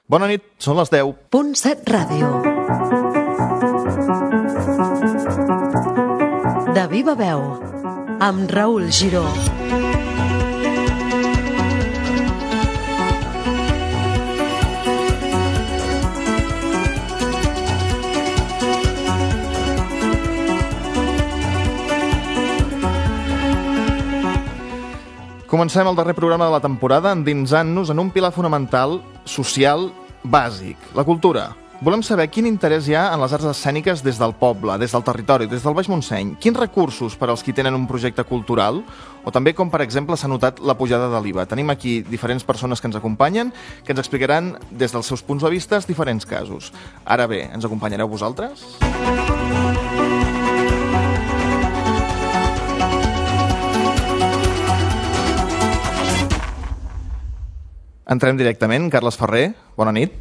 Bona nit, són les 10. .7 Ràdio. De viva veu, amb Raül Giró. Comencem el darrer programa de la temporada endinsant-nos en un pilar fonamental social bàsic, la cultura. Volem saber quin interès hi ha en les arts escèniques des del poble, des del territori, des del Baix Montseny. Quins recursos per als qui tenen un projecte cultural, o també com, per exemple, s'ha notat la pujada de l'IVA. Tenim aquí diferents persones que ens acompanyen, que ens explicaran des dels seus punts de vista diferents casos. Ara bé, ens acompanyareu vosaltres? Entrem directament. Carles Ferrer, bona nit.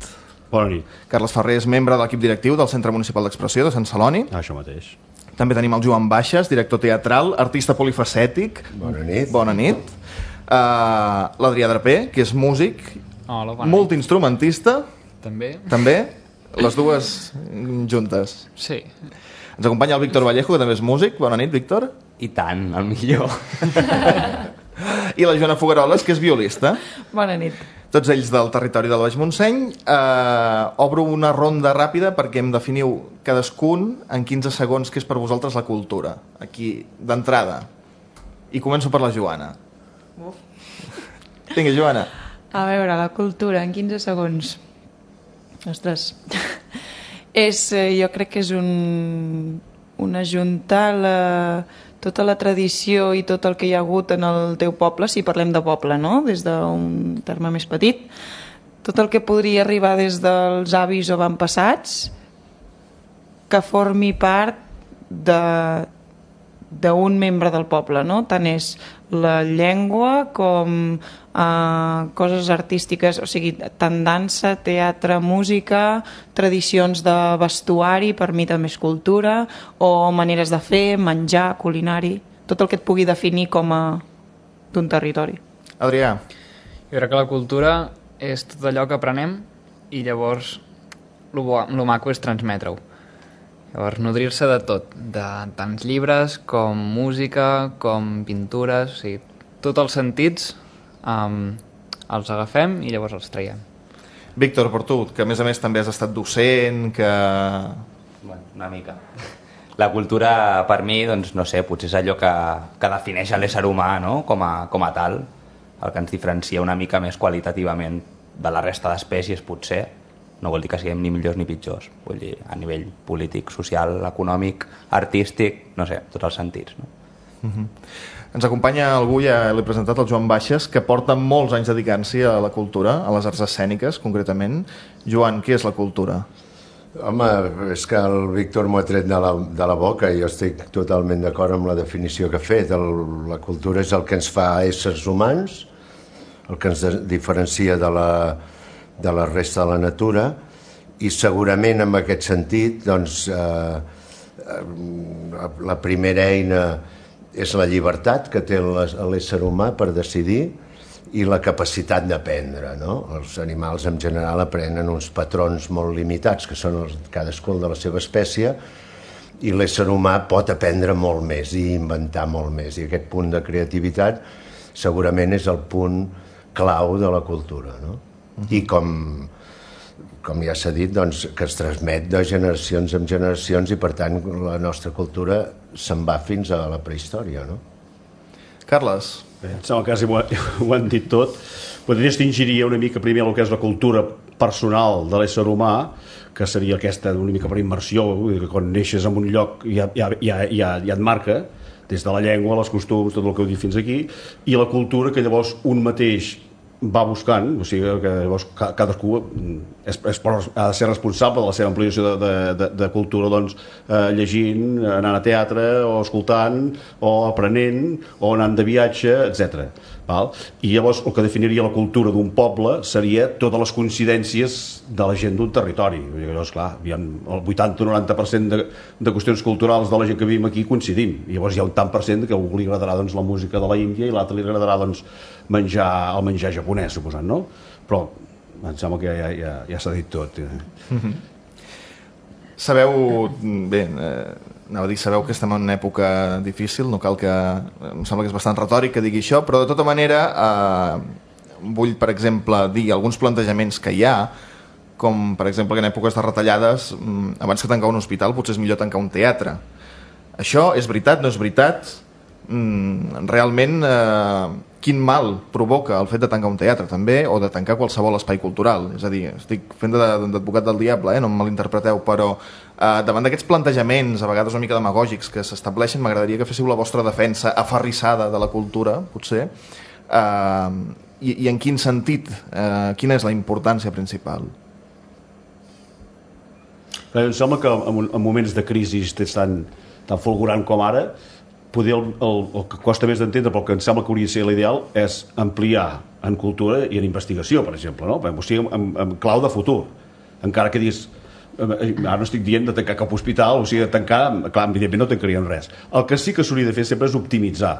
Bona nit. Carles Ferrer és membre de l'equip directiu del Centre Municipal d'Expressió de Sant Celoni. Això mateix. També tenim el Joan Baixes, director teatral, artista polifacètic. Bona nit. Bona nit. L'Adrià Draper, que és músic, Hola, bona multiinstrumentista. nit. També, les dues juntes. Sí. Ens acompanya el Víctor Vallejo, que també és músic. Bona nit, Víctor. I tant, el millor. I la Joana Fogaroles, que és violista. Bona nit. Tots ells del territori del Baix Montseny. Obro una ronda ràpida perquè em definiu cadascun en 15 segons què és per vosaltres la cultura. Aquí, d'entrada. I començo per la Joana. Vinga, Joana. A veure, la cultura, en 15 segons. Ostres. Jo crec que és un ajuntar tota la tradició i tot el que hi ha hagut en el teu poble, si parlem de poble, no? Des d'un terme més petit, tot el que podria arribar des dels avis o avantpassats que formi part d'un membre del poble, no? Tant és la llengua com coses artístiques, o sigui, tant dansa, teatre, música, tradicions de vestuari, per mi també és cultura, o maneres de fer, menjar, culinari, tot el que et pugui definir com a d'un territori. Adrià. Jo crec que la cultura és tot allò que aprenem i llavors lo maco és transmetre-ho. Llavors, nodrir-se de tot, de tants llibres com música, com pintures, o sigui, tots els sentits els agafem i llavors els traiem. Víctor, per tu, que a més també has estat docent, que... Bueno, una mica. La cultura, per mi, doncs, no sé, potser és allò que defineix l'ésser humà, no? com a tal, el que ens diferencia una mica més qualitativament de la resta d'espècies, potser. No vol dir que siguem ni millors ni pitjors, vull dir, a nivell polític, social, econòmic, artístic, no sé, tots els sentits, no? Ens acompanya algú, ja l'he presentat, el Joan Baixes, que porta molts anys dedicant-s'hi a la cultura, a les arts escèniques, concretament. Joan, què és la cultura? Home, és que el Víctor m'ho ha tret de la boca i jo estic totalment d'acord amb la definició que ha fet. La cultura és el que ens fa éssers humans, el que ens diferencia de la resta de la natura, i segurament en aquest sentit doncs, la primera eina és la llibertat que té l'ésser humà per decidir i la capacitat d'aprendre, no? Els animals en general aprenen uns patrons molt limitats que són cadascun de la seva espècie, i l'ésser humà pot aprendre molt més i inventar molt més, i aquest punt de creativitat segurament és el punt clau de la cultura, no? I com ja s'ha dit, doncs, que es transmet de generacions en generacions i per tant la nostra cultura se'n va fins a la prehistòria, no? Carles. Bé, em sembla que quasi ho han dit tot. Podria distingiria una mica primer el que és la cultura personal de l'ésser humà, que seria aquesta una mica per immersió, que quan neixes en un lloc ja et marca, des de la llengua, els costums, tot el que heu dit fins aquí, i la cultura que llavors un mateix va buscant, o sigui que llavors cadascú ha de ser responsable de la seva ampliació de cultura, doncs, llegint, anant a teatre, o escoltant, o aprenent, o anant de viatge, etc. I llavors el que definiria la cultura d'un poble seria totes les coincidències de la gent d'un territori. Llavors, clar, el 80-90% de qüestions culturals de la gent que vivim aquí coincidim, i llavors hi ha un tant per cent que a algú li agradarà doncs, la música de la Índia i l'altre li agradarà doncs, el menjar japonès, suposant, no? Però em sembla que ja s'ha dit tot. Sabeu, bé, anava a dir, sabeu que estem en una època difícil, no cal que... Em sembla que és bastant retòric que digui això, però de tota manera vull, per exemple, dir alguns plantejaments que hi ha, com, per exemple, que en èpoques de retallades, abans que tancar un hospital, potser és millor tancar un teatre. Això és veritat, no és veritat? Realment, quin mal provoca el fet de tancar un teatre, també, o de tancar qualsevol espai cultural? És a dir, estic fent d'advocat del diable, no em malinterpreteu, però davant d'aquests plantejaments, a vegades una mica demagògics, que s'estableixen, m'agradaria que féssiu la vostra defensa aferrissada de la cultura, potser, i en quin sentit, quina és la importància principal? Em sembla que en moments de crisi tan fulgurant com ara, poder el que costa més d'entendre, però que em sembla que hauria de ser l'ideal, és ampliar en cultura i en investigació, per exemple, no? O sigui, en clau de futur. Encara que diguis, ara no estic dient de tancar cap hospital, o sigui, de tancar, clar, evidentment no tancarien res. El que sí que s'hauria de fer sempre és optimitzar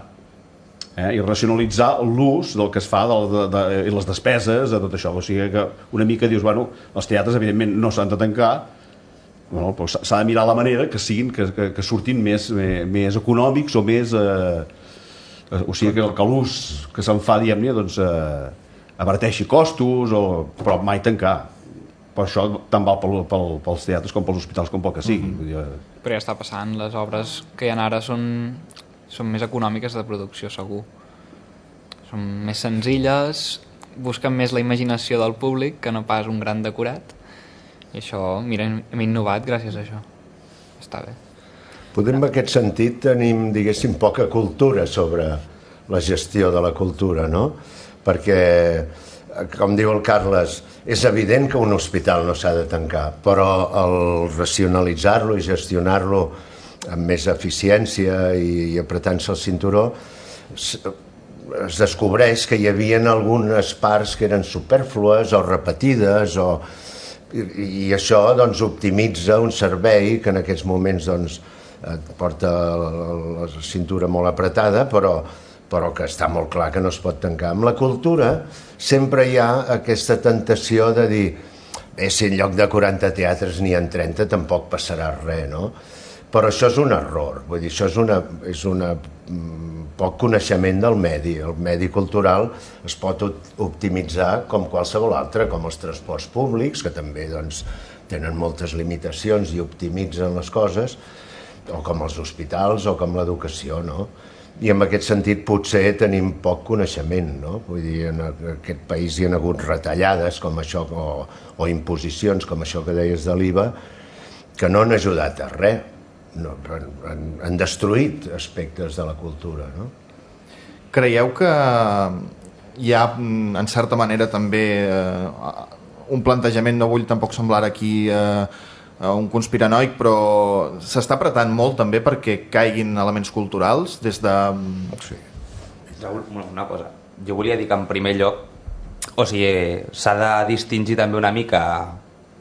i racionalitzar l'ús del que es fa i les despeses de tot això. O sigui que una mica dius, bueno, els teatres evidentment no s'han de tancar, bueno, però s'ha de mirar la manera que siguin, que surtin més econòmics o més o sigui que l'ús que se'n fa, diguem-ne, doncs abarateixi costos, però mai tancar. Per això tant val pels teatres com pels hospitals com pel que sigui. Però ja està passant, les obres que hi ha ara són més econòmiques de producció, segur. Són més senzilles, busquen més la imaginació del públic que no pas un gran decorat. I això, mira, hem innovat gràcies a això. Està bé. Podem, en aquest sentit, tenim, diguéssim, poca cultura sobre la gestió de la cultura, no? Perquè, com diu el Carles, és evident que un hospital no s'ha de tancar, però el racionalitzar-lo i gestionar-lo amb més eficiència i apretant-se el cinturó, es descobreix que hi havia algunes parts que eren supèrflues o repetides i això doncs optimitza un servei que en aquests moments doncs et porta la cintura molt apretada, però que està molt clar que no es pot tancar. Amb la cultura sempre hi ha aquesta tentació de dir si en lloc de 40 teatres n'hi ha 30 tampoc passarà res, no? Però això és un error, vull dir, això és una poc coneixement del medi. El medi cultural es pot optimitzar com qualsevol altre, com els transports públics, que també doncs, tenen moltes limitacions i optimitzen les coses, o com els hospitals o com l'educació, no? I en aquest sentit potser tenim poc coneixement, no? Vull dir, en aquest país hi ha hagut retallades com això, o imposicions com això que deies de l'IVA, que no han ajudat a res. No, han destruït aspectes de la cultura, no? Creieu que hi ha, en certa manera, també un plantejament, no vull tampoc semblar aquí un conspiranoic, però s'està apretant molt també perquè caiguin elements culturals des de... Sí. Una cosa, jo volia dir que en primer lloc, o sigui, s'ha de distingir també una mica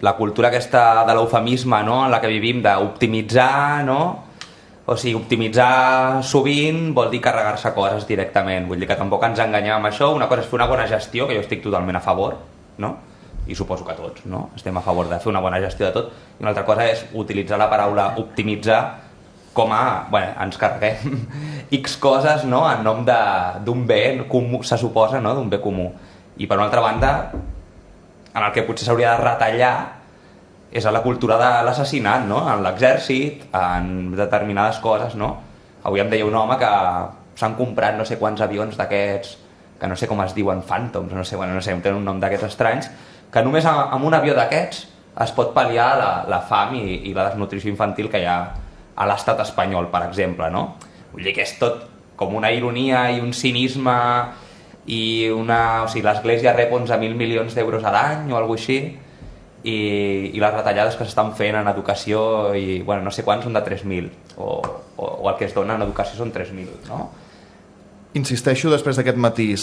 la cultura aquesta de l'eufemisme, no?, en la que vivim, d'optimitzar, no? O sigui, optimitzar sovint vol dir carregar-se coses directament. Vull dir que tampoc ens enganyem amb això. Una cosa és fer una bona gestió, que jo estic totalment a favor, no? I suposo que tots, no? Estem a favor de fer una bona gestió de tot. I una altra cosa és utilitzar la paraula optimitzar com a, bueno, ens carreguem X coses, no?, en nom d'un bé comú, se suposa, no?, d'un bé comú. I per una altra banda, en el que potser s'hauria de retallar és a la cultura de l'assassinat, no?, en l'exèrcit, en determinades coses, no? Avui em deia un home que s'han comprat no sé quants avions d'aquests, que no sé com es diuen, Phantoms, no sé, tenen un nom d'aquests estranys, que només amb un avió d'aquests es pot pal·liar la fam i la desnutrició infantil que hi ha a l'estat espanyol, per exemple, no? Vull dir que és tot com una ironia i un cinisme i o sigui, l'Església rep 11.000 milions d'euros a l'any o alguna així, i les retallades que s'estan fent en educació i, bueno, no sé quants són de 3.000 o el que es dona en educació són 3.000, no? Insisteixo després d'aquest matís,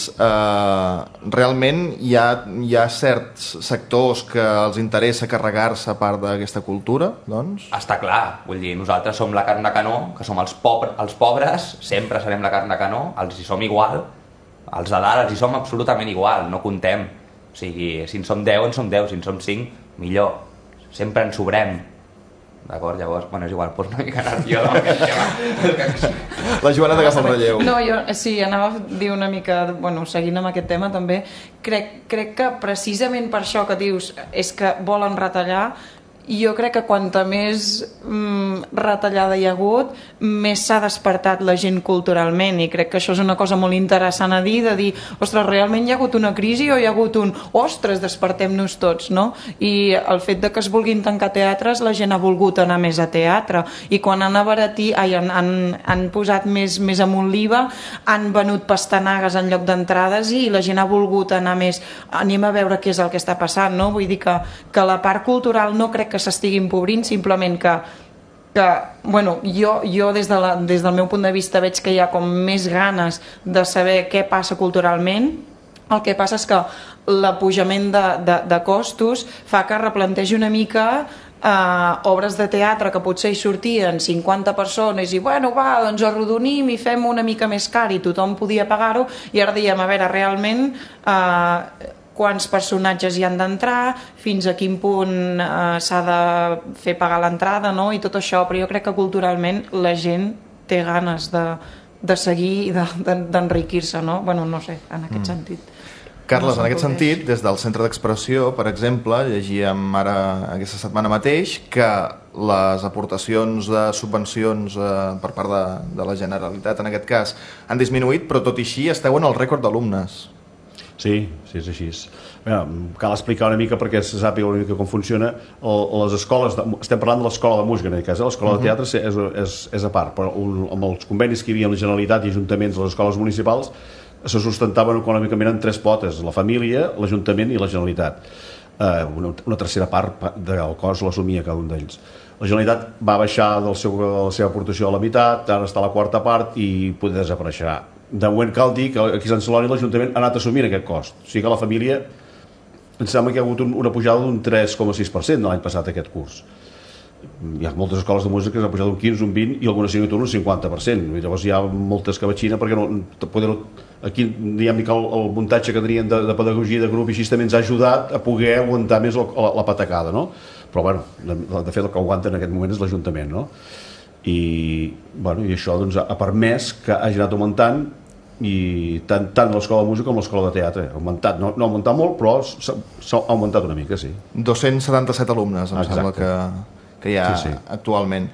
realment hi ha certs sectors que els interessa carregar-se part d'aquesta cultura, doncs? Està clar, vull dir, nosaltres som la carn de canó, que som els pobres, sempre serem la carn de canó, els hi som igual, els de dalt els hi som absolutament igual, no comptem. O sigui, si en som 10, en som 10, si en som 5, millor. Sempre en sobrem. D'acord? Llavors, bueno, és igual, una mica anar jo amb aquest tema. La Joana t'agafa el relleu. No, jo sí, anava a dir una mica, bueno, seguint amb aquest tema també, crec que precisament per això que dius és que volen retallar, jo crec que quanta més retallada hi ha hagut, més s'ha despertat la gent culturalment, i crec que això és una cosa molt interessant a dir, de dir, ostres, realment hi ha hagut una crisi o hi ha hagut un, ostres, despertem-nos tots, no? I el fet de que es vulguin tancar teatres, la gent ha volgut anar més a teatre, i quan han abaratit, han posat més amunt l'IVA, han venut pastanagues en lloc d'entrades i la gent ha volgut anar més, anem a veure què és el que està passant, no? Vull dir que la part cultural no crec que s'estigui empobrint, simplement que bueno, jo des del meu punt de vista veig que hi ha com més ganes de saber què passa culturalment. El que passa és que l'apujament de costos fa que replantegi una mica obres de teatre que potser hi sortien 50 persones i bueno, va, doncs arrodonim i fem una mica més car i tothom podia pagar-ho, i ara diem, a veure, realment quants personatges hi han d'entrar, fins a quin punt s'ha de fer pagar l'entrada, no? I tot això, però jo crec que culturalment la gent té ganes de seguir i d'enriquir-se, no? Bueno, no sé, en aquest sentit. Carles, en aquest sentit, des del Centre d'Expressió, per exemple, llegíem ara aquesta setmana mateix que les aportacions de subvencions per part de la Generalitat, en aquest cas, han disminuït, però tot i així esteu en el rècord d'alumnes. Sí, és així. Cal explicar una mica perquè se sàpiga una mica com funciona. Les escoles, estem parlant de l'escola de música en aquest cas, l'escola de teatre és a part, però amb els convenis que hi havia amb la Generalitat i ajuntaments de les escoles municipals se sustentaven econòmicament en 3 potes: la família, l'Ajuntament i la Generalitat. Una tercera part del cost l'assumia cada un d'ells. La Generalitat va baixar de la seva aportació a la meitat, ara està a la quarta part i poder desapareixerà. De moment cal dir que aquí a Sant Celoni l'Ajuntament ha anat assumint aquest cost. O sigui que la família, em sembla que hi ha hagut una pujada d'un 3,6% l'any passat aquest curs. Hi ha moltes escoles de música que s'ha pujat un 15, un 20 i algunes signatura un 50%. I llavors hi ha moltes escabatxines perquè aquí diguem que el muntatge que tenien de pedagogia de grup i així també ens ha ajudat a poder aguantar més la patacada, no? Però bueno, de fet el que aguanta en aquest moment és l'Ajuntament, no? I això doncs ha permès que hagi anat augmentant, i tant l'escola de música com l'escola de teatre ha augmentat, no ha augmentat molt, però s'ha augmentat una mica, sí. 277 alumnes, em sembla que hi ha actualment.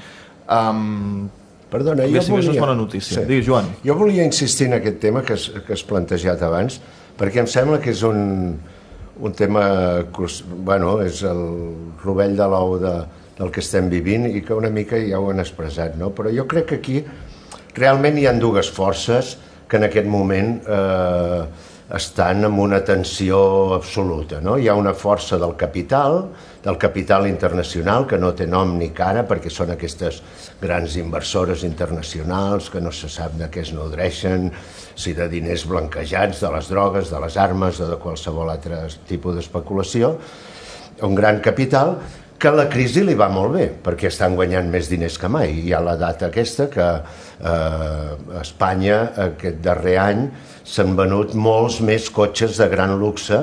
Perdona, jo volia... és bona notícia. Sí. Digues, Joan. Jo volia insistir en aquest tema que has plantejat abans, perquè em sembla que és un tema, bueno, és el rovell de l'ou del que estem vivint i que una mica ja ho han expressat, no? Però jo crec que aquí realment hi ha 2 forces que en aquest moment estan en una tensió absoluta, no? Hi ha una força del capital internacional, que no té nom ni cara perquè són aquestes grans inversores internacionals que no se sap de què es nodreixen, si de diners blanquejats, de les drogues, de les armes o de qualsevol altre tipus d'especulació. Un gran capital que la crisi li va molt bé, perquè estan guanyant més diners que mai. Hi ha la data aquesta que a Espanya aquest darrer any s'han venut molts més cotxes de gran luxe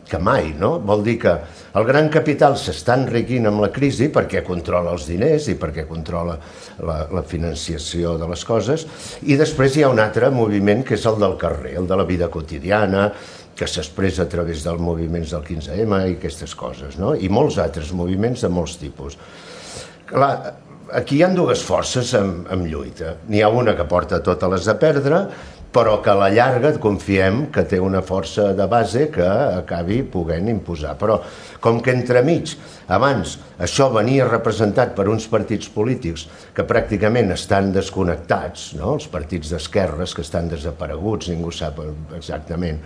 que mai, no? Vol dir que el gran capital s'està enriquint amb la crisi perquè controla els diners i perquè controla la financiació de les coses, i després hi ha un altre moviment que és el del carrer, el de la vida quotidiana, que s'expressa a través dels moviments del 15M i aquestes coses, no? I molts altres moviments de molts tipus. Clar, aquí hi ha 2 forces en lluita. N'hi ha una que porta totes les a perdre, però que a la llarga confiem que té una força de base que acabi podent imposar. Però com que entremig, abans, això venia representat per uns partits polítics que pràcticament estan desconnectats, no? Els partits d'esquerres que estan desapareguts, ningú sap exactament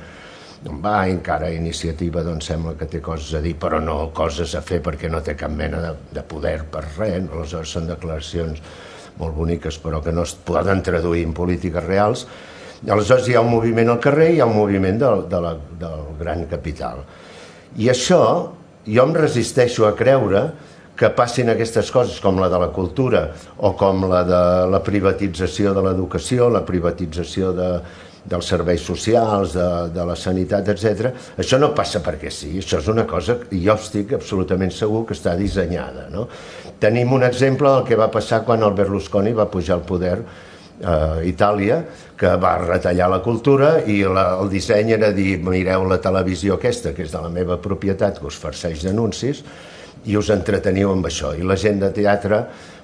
on va, encara Iniciativa doncs sembla que té coses a dir, però no coses a fer perquè no té cap mena de poder per res. Aleshores són declaracions molt boniques però que no es poden traduir en polítiques reals. Aleshores hi ha un moviment al carrer i hi ha un moviment del gran capital. I això jo em resisteixo a creure que passin aquestes coses com la de la cultura o com la de la privatització de l'educació, la privatització dels serveis socials, de la sanitat, etc. Això no passa perquè sí, això és una cosa, i jo estic absolutament segur que està dissenyada, no? Tenim un exemple del que va passar quan el Berlusconi va pujar al poder a Itàlia, que va retallar la cultura i el disseny era dir, mireu la televisió aquesta, que és de la meva propietat, que us farceix d'anuncis, i us entreteniu amb això. I la gent de teatre,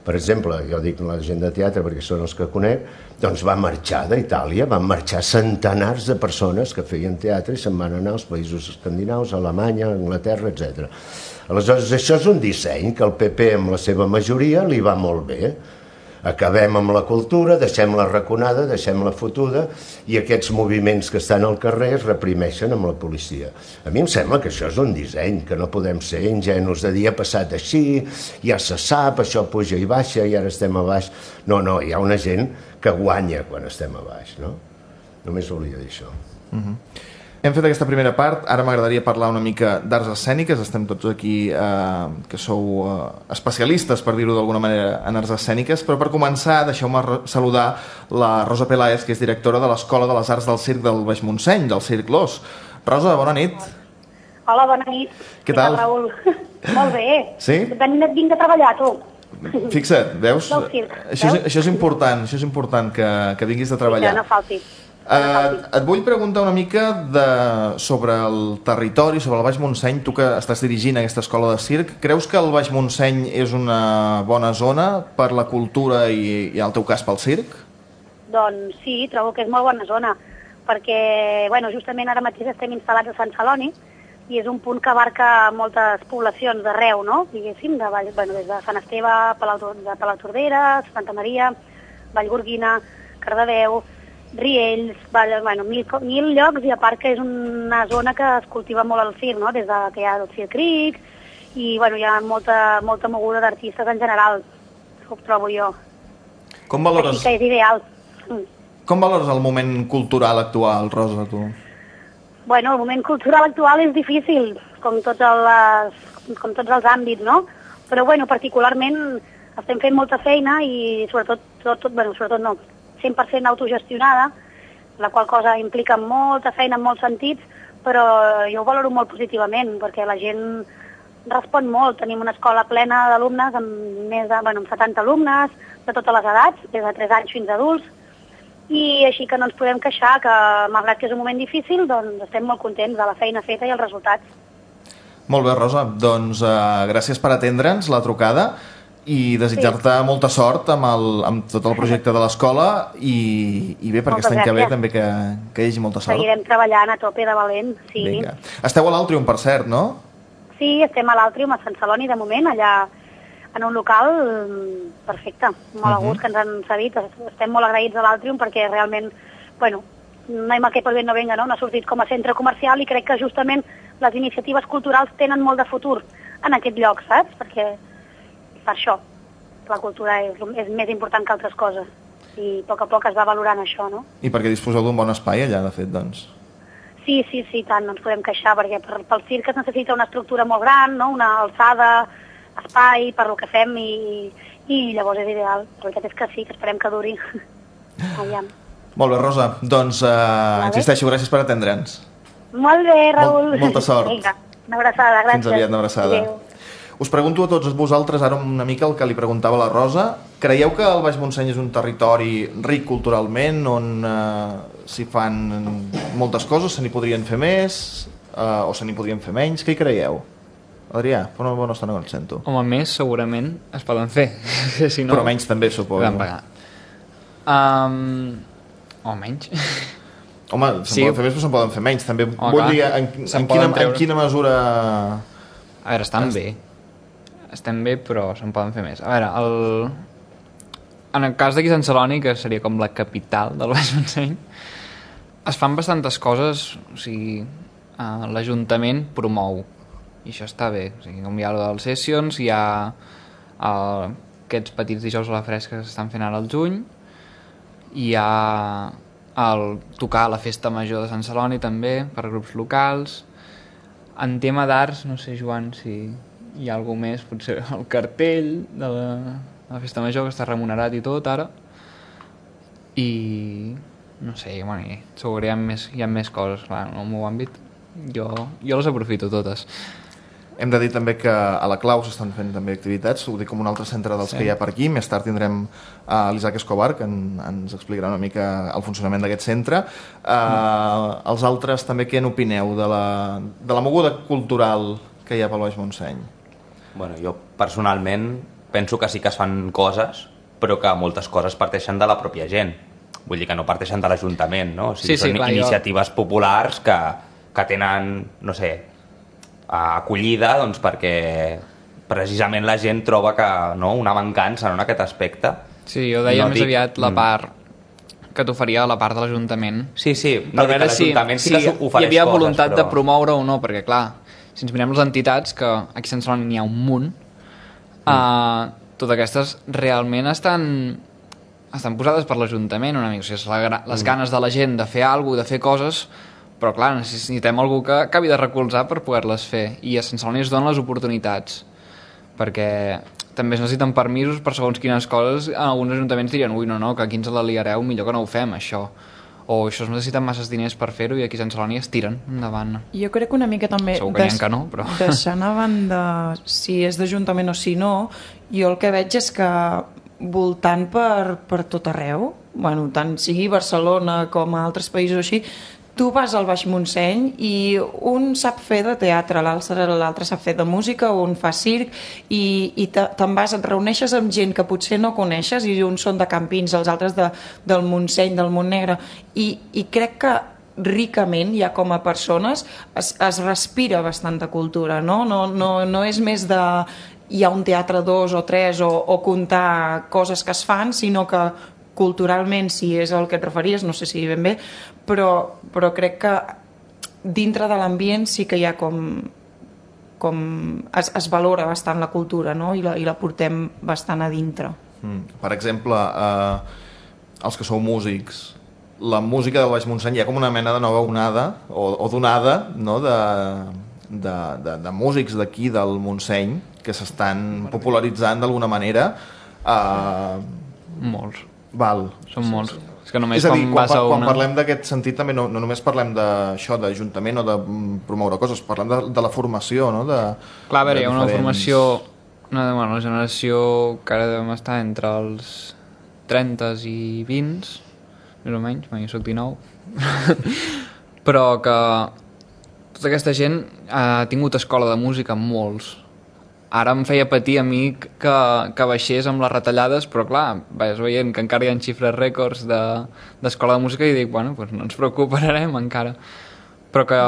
per exemple, jo dic la gent de teatre perquè són els que conec, doncs va marxar d'Itàlia, van marxar centenars de persones que feien teatre i se'n van anar als països escandinaus, a Alemanya, a Anglaterra, etc. Aleshores, això és un disseny que el PP, amb la seva majoria, li va molt bé. Acabem amb la cultura, deixem-la raconada, deixem-la fotuda, i aquests moviments que estan al carrer es reprimeixen amb la policia. A mi em sembla que això és un disseny, que no podem ser ingenus de dir ha passat així, ja se sap, això puja i baixa, i ara estem a baix. No, hi ha una gent que guanya quan estem a baix, no? Només volia dir això. Hem fet aquesta primera part, ara m'agradaria parlar una mica d'arts escèniques, estem tots aquí que sou especialistes, per dir-ho d'alguna manera, en arts escèniques, però per començar deixeu-me saludar la Rosa Peláez, que és directora de l'Escola de les Arts del Circ del Baix Montseny, del Circ Los. Rosa, bona nit. Hola, bona nit. Què tal? Raül? Molt bé. Sí? Vinc a treballar, tu. Fixa't, veus? Del circ, això és important que vinguis a treballar. Que no falti. Et vull preguntar una mica sobre el territori, sobre el Baix Montseny. Tu que estàs dirigint aquesta escola de circ, creus que el Baix Montseny és una bona zona per la cultura i en el teu cas pel circ? Doncs sí, trobo que és molt bona zona, perquè justament ara mateix estem instal·lats a Sant Celoni i és un punt que abarca moltes poblacions d'arreu, no? Diguéssim, des de Sant Esteve, de Palautordera, Santa Maria, Vallgorguina, Cardedeu, Riells, mil llocs, i a part que és una zona que es cultiva molt el circ, no? Des que hi ha el Circ Cric i hi ha molta moguda d'artistes en general, ho trobo jo. Com valores... Així que és ideal. Com valores el moment cultural actual, Rosa, tu? El moment cultural actual és difícil, com tots els àmbits, no? Però particularment estem fent molta feina i sobretot 100% autogestionada, la qual cosa implica molta feina en molts sentits, però jo ho valoro molt positivament, perquè la gent respon molt. Tenim una escola plena d'alumnes, amb 70 alumnes, de totes les edats, des de 3 anys fins a adults, i així que no ens podem queixar, que malgrat que és un moment difícil, doncs estem molt contents de la feina feta i els resultats. Molt bé, Rosa, doncs gràcies per atendre'ns la trucada i desitjar-te molta sort amb tot el projecte de l'escola i bé, per aquest any que ve també que hi hagi molta sort. Seguirem treballant a tope de valent, sí. Vinga. Esteu a l'Àltrium, per cert, no? Sí, estem a l'Àltrium, a Sant Celoni, de moment, allà en un local perfecte, molt a gust que ens han cedit. Estem molt agraïts a l'Àltrium perquè realment, no hay mal que por bien no venga, no? No ha sortit com a centre comercial i crec que justament les iniciatives culturals tenen molt de futur en aquest lloc, saps? Perquè per això la cultura és més important que altres coses i a poc es va valorant això, no? I perquè disposeu d'un bon espai allà, de fet, doncs. Sí, tant, no ens podem queixar, perquè pel circ es necessita una estructura molt gran, no? Una alçada, espai per lo que fem i llavors és ideal. La veritat és que sí, que esperem que duri. Aviam. Molt bé, Rosa, doncs insisteixo, gràcies per atendre'ns. Molt bé, Raül. Molta sort. Vinga, una abraçada, gràcies. Fins aviat, una abraçada. Adéu. Us pregunto a tots vosaltres ara una mica el que li preguntava la Rosa. Creieu que el Baix Montseny és un territori ric culturalment, on s'hi fan moltes coses, se n'hi podrien fer més o se n'hi podrien fer menys? Què hi creieu? Adrià, fa una bona estona que no et sento. Home, més segurament es poden fer. Si no, però menys també, suposo. Vam pagar. O menys. Home, se'n poden fer més, però se'n poden fer menys. També vull dir, en quina mesura... A veure, estem bé, però se'n poden fer més. A veure, en el cas d'aquí Sant Celoni, que seria com la capital del Baix Montseny, es fan bastantes coses, o sigui, l'Ajuntament promou, i això està bé. O sigui, com hi ha el dels Sessions, hi ha aquests petits dijous a la fresca que s'estan fent ara al juny, hi ha el tocar a la festa major de Sant Celoni també, per grups locals. En tema d'arts, no sé, Joan, si hi ha alguna més, potser el cartell de la festa major, que està remunerat i tot ara, i no sé, bueno, segur que hi ha més coses, clar, en el meu àmbit. Jo les aprofito totes. Hem de dir també que a la Clau s'estan fent també activitats, ho dic com un altre centre dels que hi ha per aquí. Més tard tindrem l'Isaac Escobar, que ens explicarà una mica el funcionament d'aquest centre. Els altres també, què n'opineu de la moguda cultural que hi ha pel Baix Montseny? Bueno, jo personalment penso que sí que es fan coses, però que moltes coses parteixen de la pròpia gent. Vull dir que no parteixen de l'Ajuntament, no? O sigui, són iniciatives populars que tenen, no sé, acollida, doncs perquè precisament la gent troba que, no, una mancança en aquest aspecte. Sí, jo deia més aviat la part que t'oferia la part de l'Ajuntament. Sí, no dic que l'Ajuntament sí que ofereix coses, hi havia voluntat de promoure o no, perquè clar, si ens mirem les entitats, que aquí a Sant Celoni n'hi ha un munt, totes aquestes realment estan posades per l'Ajuntament una mica, o sigui, les ganes de la gent de fer alguna cosa, de fer coses, però clar, necessitem algú que acabi de recolzar per poder-les fer, i a Sant Celoni es donen les oportunitats, perquè també es necessiten permisos per segons quines coses. Alguns ajuntaments dirien, ui, no, que aquí ens la liareu, millor que no ho fem, això, o això es necessiten masses diners per fer-ho, i aquí a Sant Celoni es tiren endavant. Jo crec que una mica també segur que n'hi ha que no, però deixant a banda si és d'Ajuntament o si no, jo el que veig és que voltant per tot arreu, bueno, tant sigui Barcelona com a altres països així, tu vas al Baix Montseny i un sap fer de teatre, l'altre sap fer de música, un fa circ, i te'n vas, et reuneixes amb gent que potser no coneixes, i uns són de Campins, els altres del Montseny, del Montnegre, i crec que ricament, ja com a persones, es respira bastanta cultura, no? No és més de hi ha un teatre 2 o 3 o contar coses que es fan, sinó que culturalment, si és el que et referies, no sé si ben bé, però crec que dintre de l'ambient sí que hi ha com es valora bastant la cultura, no? I la portem bastant a dintre. Per exemple, els que sou músics, la música del Baix Montseny hi ha com una mena de nova onada o d'onada, no? de músics d'aquí del Montseny que s'estan popularitzant d'alguna manera. Molts. Val. Són molts. És que només és a dir, quan parlem d'aquest sentit també no només parlem d'això, d'Ajuntament o de promoure coses, parlem de la formació, no? Clar, a veure, hi ha una formació, una generació que ara devem estar entre els 30 i 20, més o menys, jo soc 19, però que tota aquesta gent ha tingut escola de música, molts. Ara em feia patir a mi que baixés amb les retallades, però clar, vas veient que encara hi ha xifres rècords d'escola de música i dic, bueno, doncs no ens preocuparem encara. Però que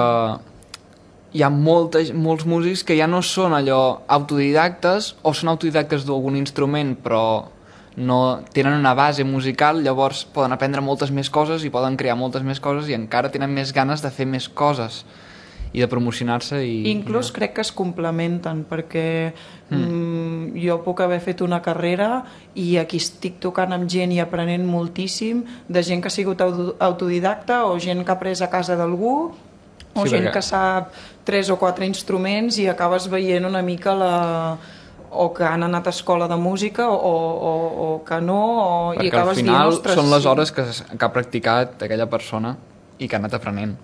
hi ha molts músics que ja no són allò autodidactes, o són autodidactes d'algun instrument, però no tenen una base musical, llavors poden aprendre moltes més coses i poden crear moltes més coses i encara tenen més ganes de fer més coses i de promocionar-se. Inclús crec que es complementen, perquè jo puc haver fet una carrera i aquí estic tocant amb gent i aprenent moltíssim, de gent que ha sigut autodidacta o gent que ha après a casa d'algú o gent que sap 3 o 4 instruments i acabes veient una mica o que han anat a escola de música o que no, i acabes dient, perquè al final són les hores que ha practicat aquella persona i que ha anat aprenent.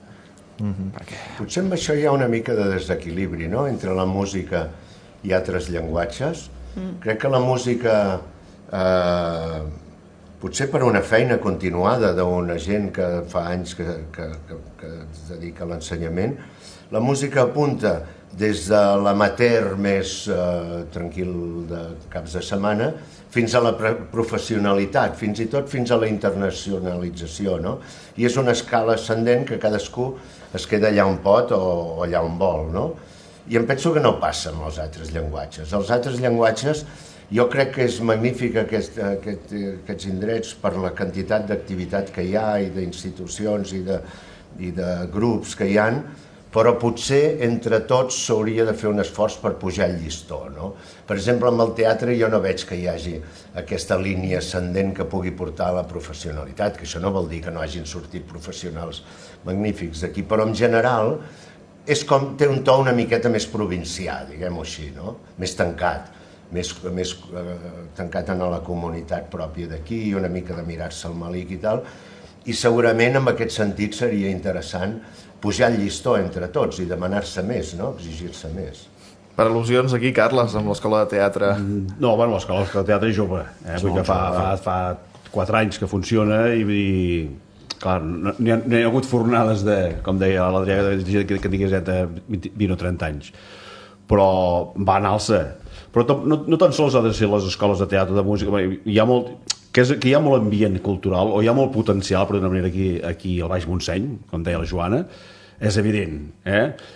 Perquè potser amb això hi ha una mica de desequilibri, no?, entre la música i altres llenguatges. Crec que la música, potser per una feina continuada d'una gent que fa anys que es dedica a l'ensenyament, la música apunta des de l'amateur més tranquil de caps de setmana fins a la professionalitat, fins i tot fins a la internacionalització, no? I és una escala ascendent que cadascú es queda allà on pot o allà on vol, no? I em penso que no passa amb els altres llenguatges. Els altres llenguatges, jo crec que és magnífic aquests indrets per la quantitat d'activitat que hi ha i d'institucions i de grups que hi ha, però potser entre tots s'hauria de fer un esforç per pujar el llistó, no? Per exemple, amb el teatre jo no veig que hi hagi aquesta línia ascendent que pugui portar a la professionalitat, que això no vol dir que no hagin sortit professionals magnífics d'aquí, però en general és com té un to una miqueta més provincià, diguem-ho així, no? Més tancat, més tancat en la comunitat pròpia d'aquí, una mica de mirar-se el malic i tal, I segurament en aquest sentit seria interessant pujar el llistó entre tots i demanar-se més, no? Exigir-se més. Per al·lusions aquí, Carles, amb l'Escola de Teatre. No, bueno, l'Escola de Teatre és jove. Vull que fa 4 anys que funciona i clar, no hi ha hagut fornades de, com deia l'Adrià, que tingués 20 o 30 anys. Però va en alça. Però no tan sols ha de ser les escoles de teatre, de música, hi ha molt... que hi ha molt ambient cultural, o hi ha molt potencial, per d'una manera, aquí al Baix Montseny, com deia la Joana, és evident,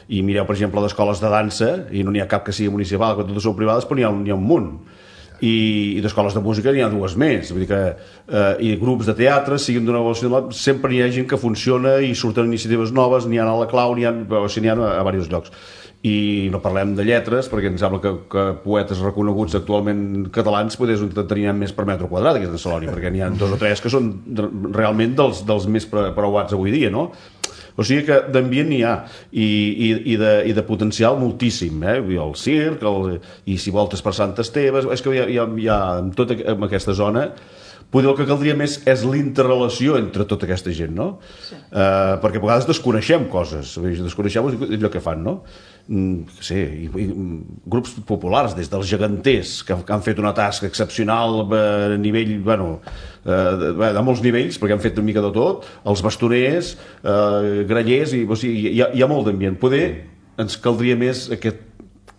I mireu, per exemple, d'escoles de dansa, i no n'hi ha cap que sigui municipal, que totes són privades, però n'hi ha un munt. I d'escoles de música n'hi ha 2 més, vull dir que i grups de teatre, siguin d'una relació, sempre hi ha gent que funciona i surten iniciatives noves, n'hi ha a la Clau, n'hi ha a diversos llocs. I no parlem de lletres, perquè em sembla que poetes reconeguts actualment catalans potser tenien més per metre quadrat aquesta Salònia, perquè n'hi ha 2 o 3 que són realment dels més preuats avui dia, no? O sigui que d'ambient n'hi ha i de potencial moltíssim, el circ, i si voltes per Sant Esteve, és que hi ha en tota aquesta zona. Potser el que caldria més és l'interrelació entre tota aquesta gent, no? Sí. Perquè a vegades desconeixem coses, desconeixem allò que fan, no? Sí, i grups populars, des dels geganters, que han fet una tasca excepcional a nivell, de molts nivells, perquè han fet una mica de tot, els bastoners, grallers, o sigui, hi ha molt d'ambient. Poder ens caldria més aquest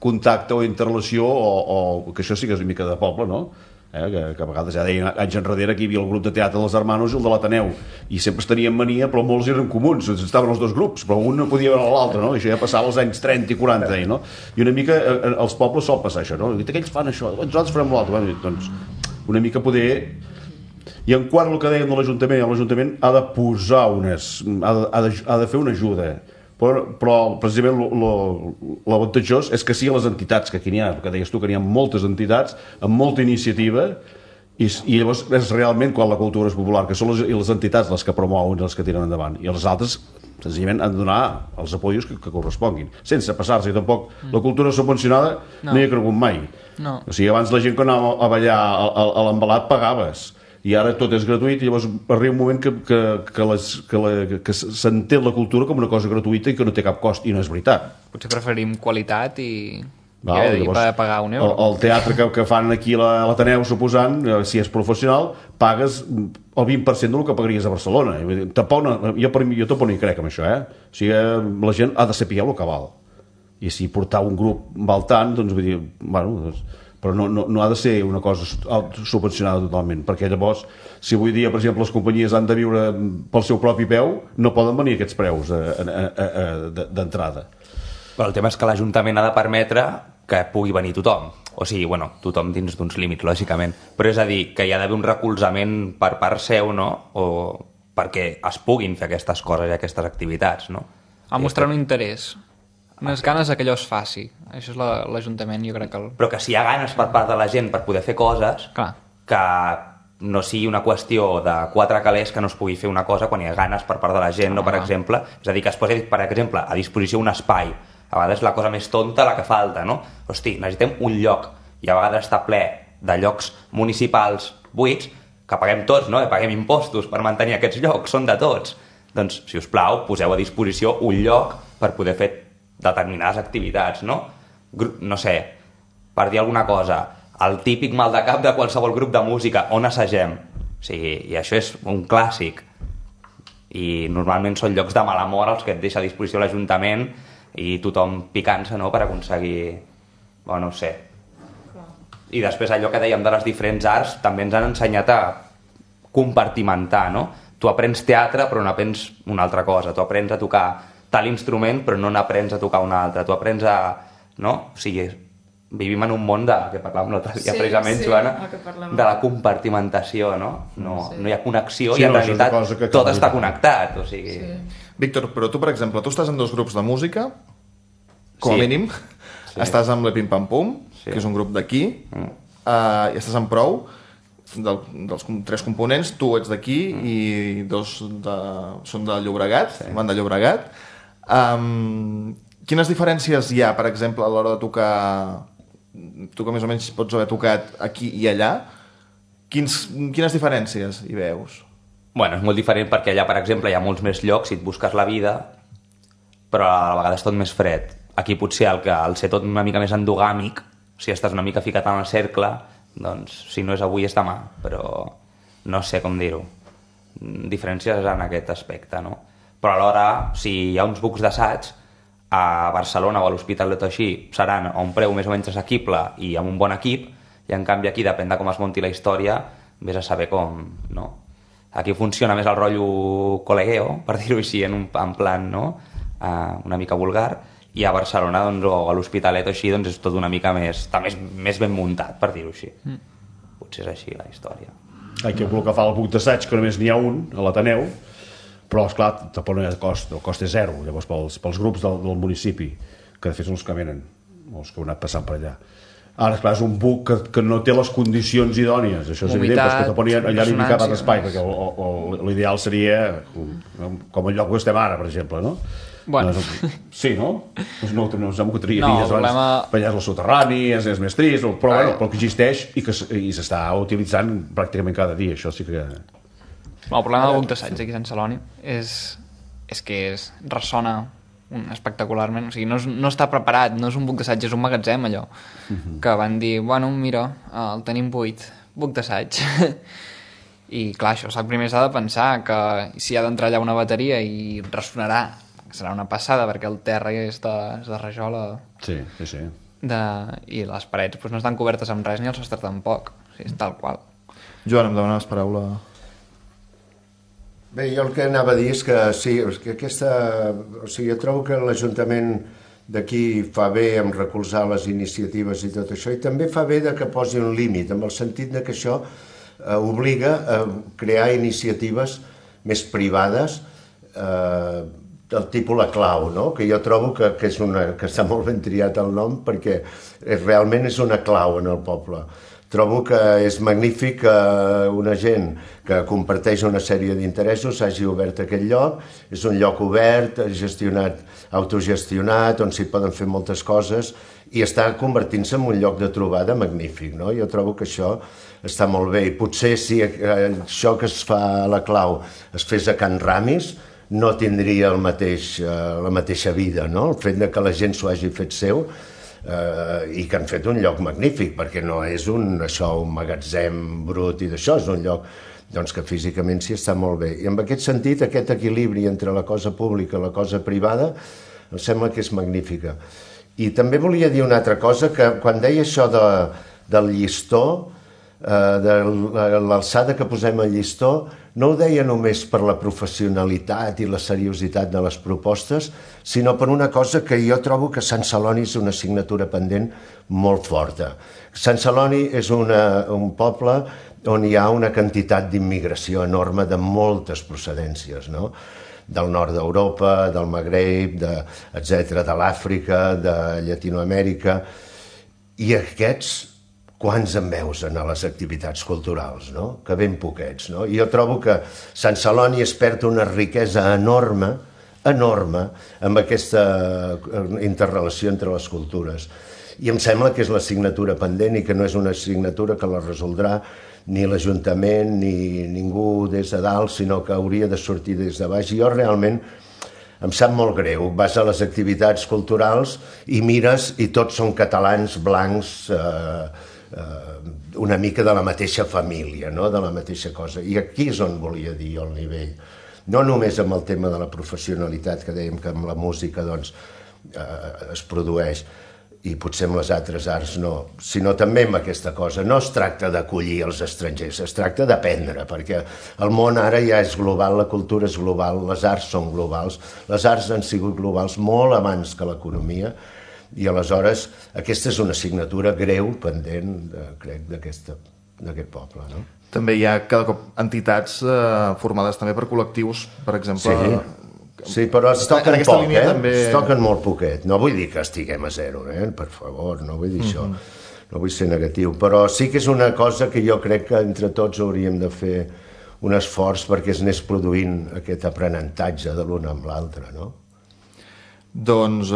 contacte o interrelació, o que això sí que és una mica de poble, no? Que a vegades ja deien anys enrere que hi havia el grup de teatre dels Hermanos i el de l'Ateneu i sempre es tenien mania, però molts eren comuns, estaven els 2 grups, però un no podia veure l'altre, no? I això ja passava als anys 30 i 40, no? I una mica als pobles sol passar això, no? I aquells fan això, nosaltres farem l'altre, doncs una mica poder. I en quant al que dèiem de l'Ajuntament ha de posar ha de fer una ajuda, però precisament l'avantatjós és que siguin les entitats, que aquí n'hi ha, que deies tu que n'hi ha moltes entitats amb molta iniciativa i llavors és realment quan la cultura és popular, que són les entitats les que promouen, les que tiren endavant, i els altres senzillament han de donar els apoyos que corresponguin, sense passar-se. I tampoc la cultura subvencionada no hi ha cregut mai. O sigui, abans la gent quan anava a ballar a l'embalat pagaves, i ara tot és gratuït, i llavors arriba un moment que s'entén la cultura com una cosa gratuïta i que no té cap cost, i no és veritat. Potser preferim qualitat i pagar €1. El teatre que fan aquí a l'Ateneu, suposant, si és professional, pagues el 20% del que pagaries a Barcelona. Jo tampoc no hi crec amb això, O sigui, la gent ha de saber el que val. I si portar un grup val tant, doncs vull dir, però no ha de ser una cosa subvencionada totalment, perquè llavors, si avui dia, per exemple, les companyies han de viure pel seu propi peu, no poden venir aquests preus d'entrada. Però el tema és que l'Ajuntament ha de permetre que pugui venir tothom. O sigui, tothom dins d'uns límits, lògicament. Però és a dir, que hi ha d'haver un recolzament per part seu, no? O perquè es puguin fer aquestes coses i aquestes activitats, no? A mostrar un interès. Unes ganes que allò es faci. Això és l'Ajuntament, jo crec que... Però que si hi ha ganes per part de la gent per poder fer coses, que no sigui una qüestió de 4 calés que no es pugui fer una cosa quan hi ha ganes per part de la gent, no, per exemple. És a dir, que es posi, per exemple, a disposició un espai. A vegades la cosa més tonta la que falta, no? Hosti, necessitem un lloc, i a vegades està ple de llocs municipals buits, que paguem tots, no? Que paguem impostos per mantenir aquests llocs, són de tots. Doncs, si us plau, poseu a disposició un lloc per poder fer determinades activitats, no? No sé, per dir alguna cosa, el típic mal de cap de qualsevol grup de música, on assagem? O sigui, i això és un clàssic. I normalment són llocs de mala mort els que et deixa a disposició l'Ajuntament i tothom picant-se, no?, per aconseguir... no sé. I després allò que dèiem de les diferents arts també ens han ensenyat a compartimentar, no? Tu aprens teatre però no aprens una altra cosa, tu aprens a tocar tal instrument però no n'aprens a tocar un altre, tu aprens a... no? O sigui, vivim en un món que parlàvem l'altre dia precisament, Joana, de la compartimentació, no? No hi ha connexió i en realitat tot està connectat, o sigui... Víctor, però tu, per exemple, tu estàs en 2 grups de música, com a mínim, estàs amb l'Epim Pam Pum, que és un grup d'aquí, i estàs amb Prou, dels 3 components, tu ets d'aquí i 2 són de Llobregat, van de Llobregat. Quines diferències hi ha, per exemple, a l'hora de tocar... Tu que més o menys pots haver tocat aquí i allà, quines diferències hi veus? Bueno, és molt diferent perquè allà, per exemple, hi ha molts més llocs si et busques la vida, però a la vegada és tot més fred. Aquí potser al ser tot una mica més endogàmic, si estàs una mica ficat en el cercle, doncs si no és avui és demà, però no sé com dir-ho. Diferències en aquest aspecte, no? Però alhora, si hi ha uns bucs d'assaig, a Barcelona o a l'Hospitalet o així, seran a un preu més o menys assequible i amb un bon equip, i en canvi aquí, depèn de com es monti la història, vés a saber com, no? Aquí funciona més el rotllo col·legueo, per dir-ho així, en plan, no? Una mica vulgar, i a Barcelona doncs, o a l'Hospitalet o així doncs és tot una mica més, està més ben muntat, per dir-ho així. Potser és així la història. Aquí el que fa el buc d'assaig, que només n'hi ha un a l'Ateneu, però esclar, tampoc no hi ha cost, el cost és zero, llavors pels grups del municipi, que de fet són els que venen, els que heu anat passant per allà. Ara, esclar, és un buc que no té les condicions idònies, això és evident, però és que te ponien allà ni cap d'espai, perquè l'ideal seria com el lloc on estem ara, per exemple, no? Bueno. Sí, no? No ens m'ocorreria dir abans, és el soterrani, és més trist, però que existeix i s'està utilitzant pràcticament cada dia, això sí que... El problema del buc d'assaig aquí a Sant Celoni és que ressona espectacularment, o sigui, no està preparat, no és un buc d'assaig, és un magatzem allò, que van dir, bueno, mira, el tenim buit, buc d'assaig. I clar, això primer s'ha de pensar que si ha d'entrar allà una bateria i ressonarà, serà una passada perquè el terra és de rajola. Sí. I les parets no estan cobertes amb res ni el sostre tampoc, o sigui, és tal qual. Joan, em demanes paraula. Bé, jo el que anava a dir és que sí, que jo trobo que l'Ajuntament d'aquí fa bé en recolzar les iniciatives i tot això, i també fa bé que posi un límit, en el sentit que això obliga a crear iniciatives més privades del tipus La Clau, no? Que jo trobo que està molt ben triat el nom perquè realment és una clau en el poble. Trobo que és magnífic que una gent que comparteix una sèrie d'interessos hagi obert aquest lloc. És un lloc obert, autogestionat, on s'hi poden fer moltes coses i està convertint-se en un lloc de trobada magnífic, no? Jo trobo que això està molt bé i potser si això que es fa a La Clau es fes a Can Ramis no tindria la mateixa vida, no? El fet que la gent s'ho hagi fet seu i que han fet un lloc magnífic, perquè no és un magatzem brut i d'això, és un lloc que físicament sí està molt bé. I en aquest sentit, aquest equilibri entre la cosa pública i la cosa privada em sembla que és magnífica. I també volia dir una altra cosa, que quan deia això del llistó, de l'alçada que posem al llistó, no ho deia només per la professionalitat i la seriositat de les propostes, sinó per una cosa que jo trobo que Sant Celoni és una assignatura pendent molt forta. Sant Celoni és un poble on hi ha una quantitat d'immigració enorme de moltes procedències, no? Del nord d'Europa, del Magreb, etc., de l'Àfrica, de Llatinoamèrica, i aquests quants en veus a les activitats culturals, no? Que ben poquets, no? I jo trobo que Sant Celoni es perd una riquesa enorme amb aquesta interrelació entre les cultures. I em sembla que és l'assignatura pendent i que no és una assignatura que la resoldrà ni l'Ajuntament ni ningú des de dalt, sinó que hauria de sortir des de baix. I jo realment em sap molt greu. Vas a les activitats culturals i mires i tots són catalans blancs, una mica de la mateixa família, no? De la mateixa cosa. I aquí és on volia dir jo el nivell. No només amb el tema de la professionalitat, que dèiem que amb la música es produeix, i potser amb les altres arts no, sinó també amb aquesta cosa. No es tracta d'acollir els estrangers, es tracta d'aprendre, perquè el món ara ja és global, la cultura és global, les arts són globals, les arts han sigut globals molt abans que l'economia, i aleshores aquesta és una assignatura greu, pendent, crec, d'aquest poble, no? També hi ha cada cop entitats formades també per col·lectius, per exemple... Sí, però es toquen poc, també... Es toquen molt poquet. No vull dir que estiguem a zero, per favor, no vull dir això. No vull ser negatiu, però sí que és una cosa que jo crec que entre tots hauríem de fer un esforç perquè es anés produint aquest aprenentatge de l'un amb l'altre, no? Doncs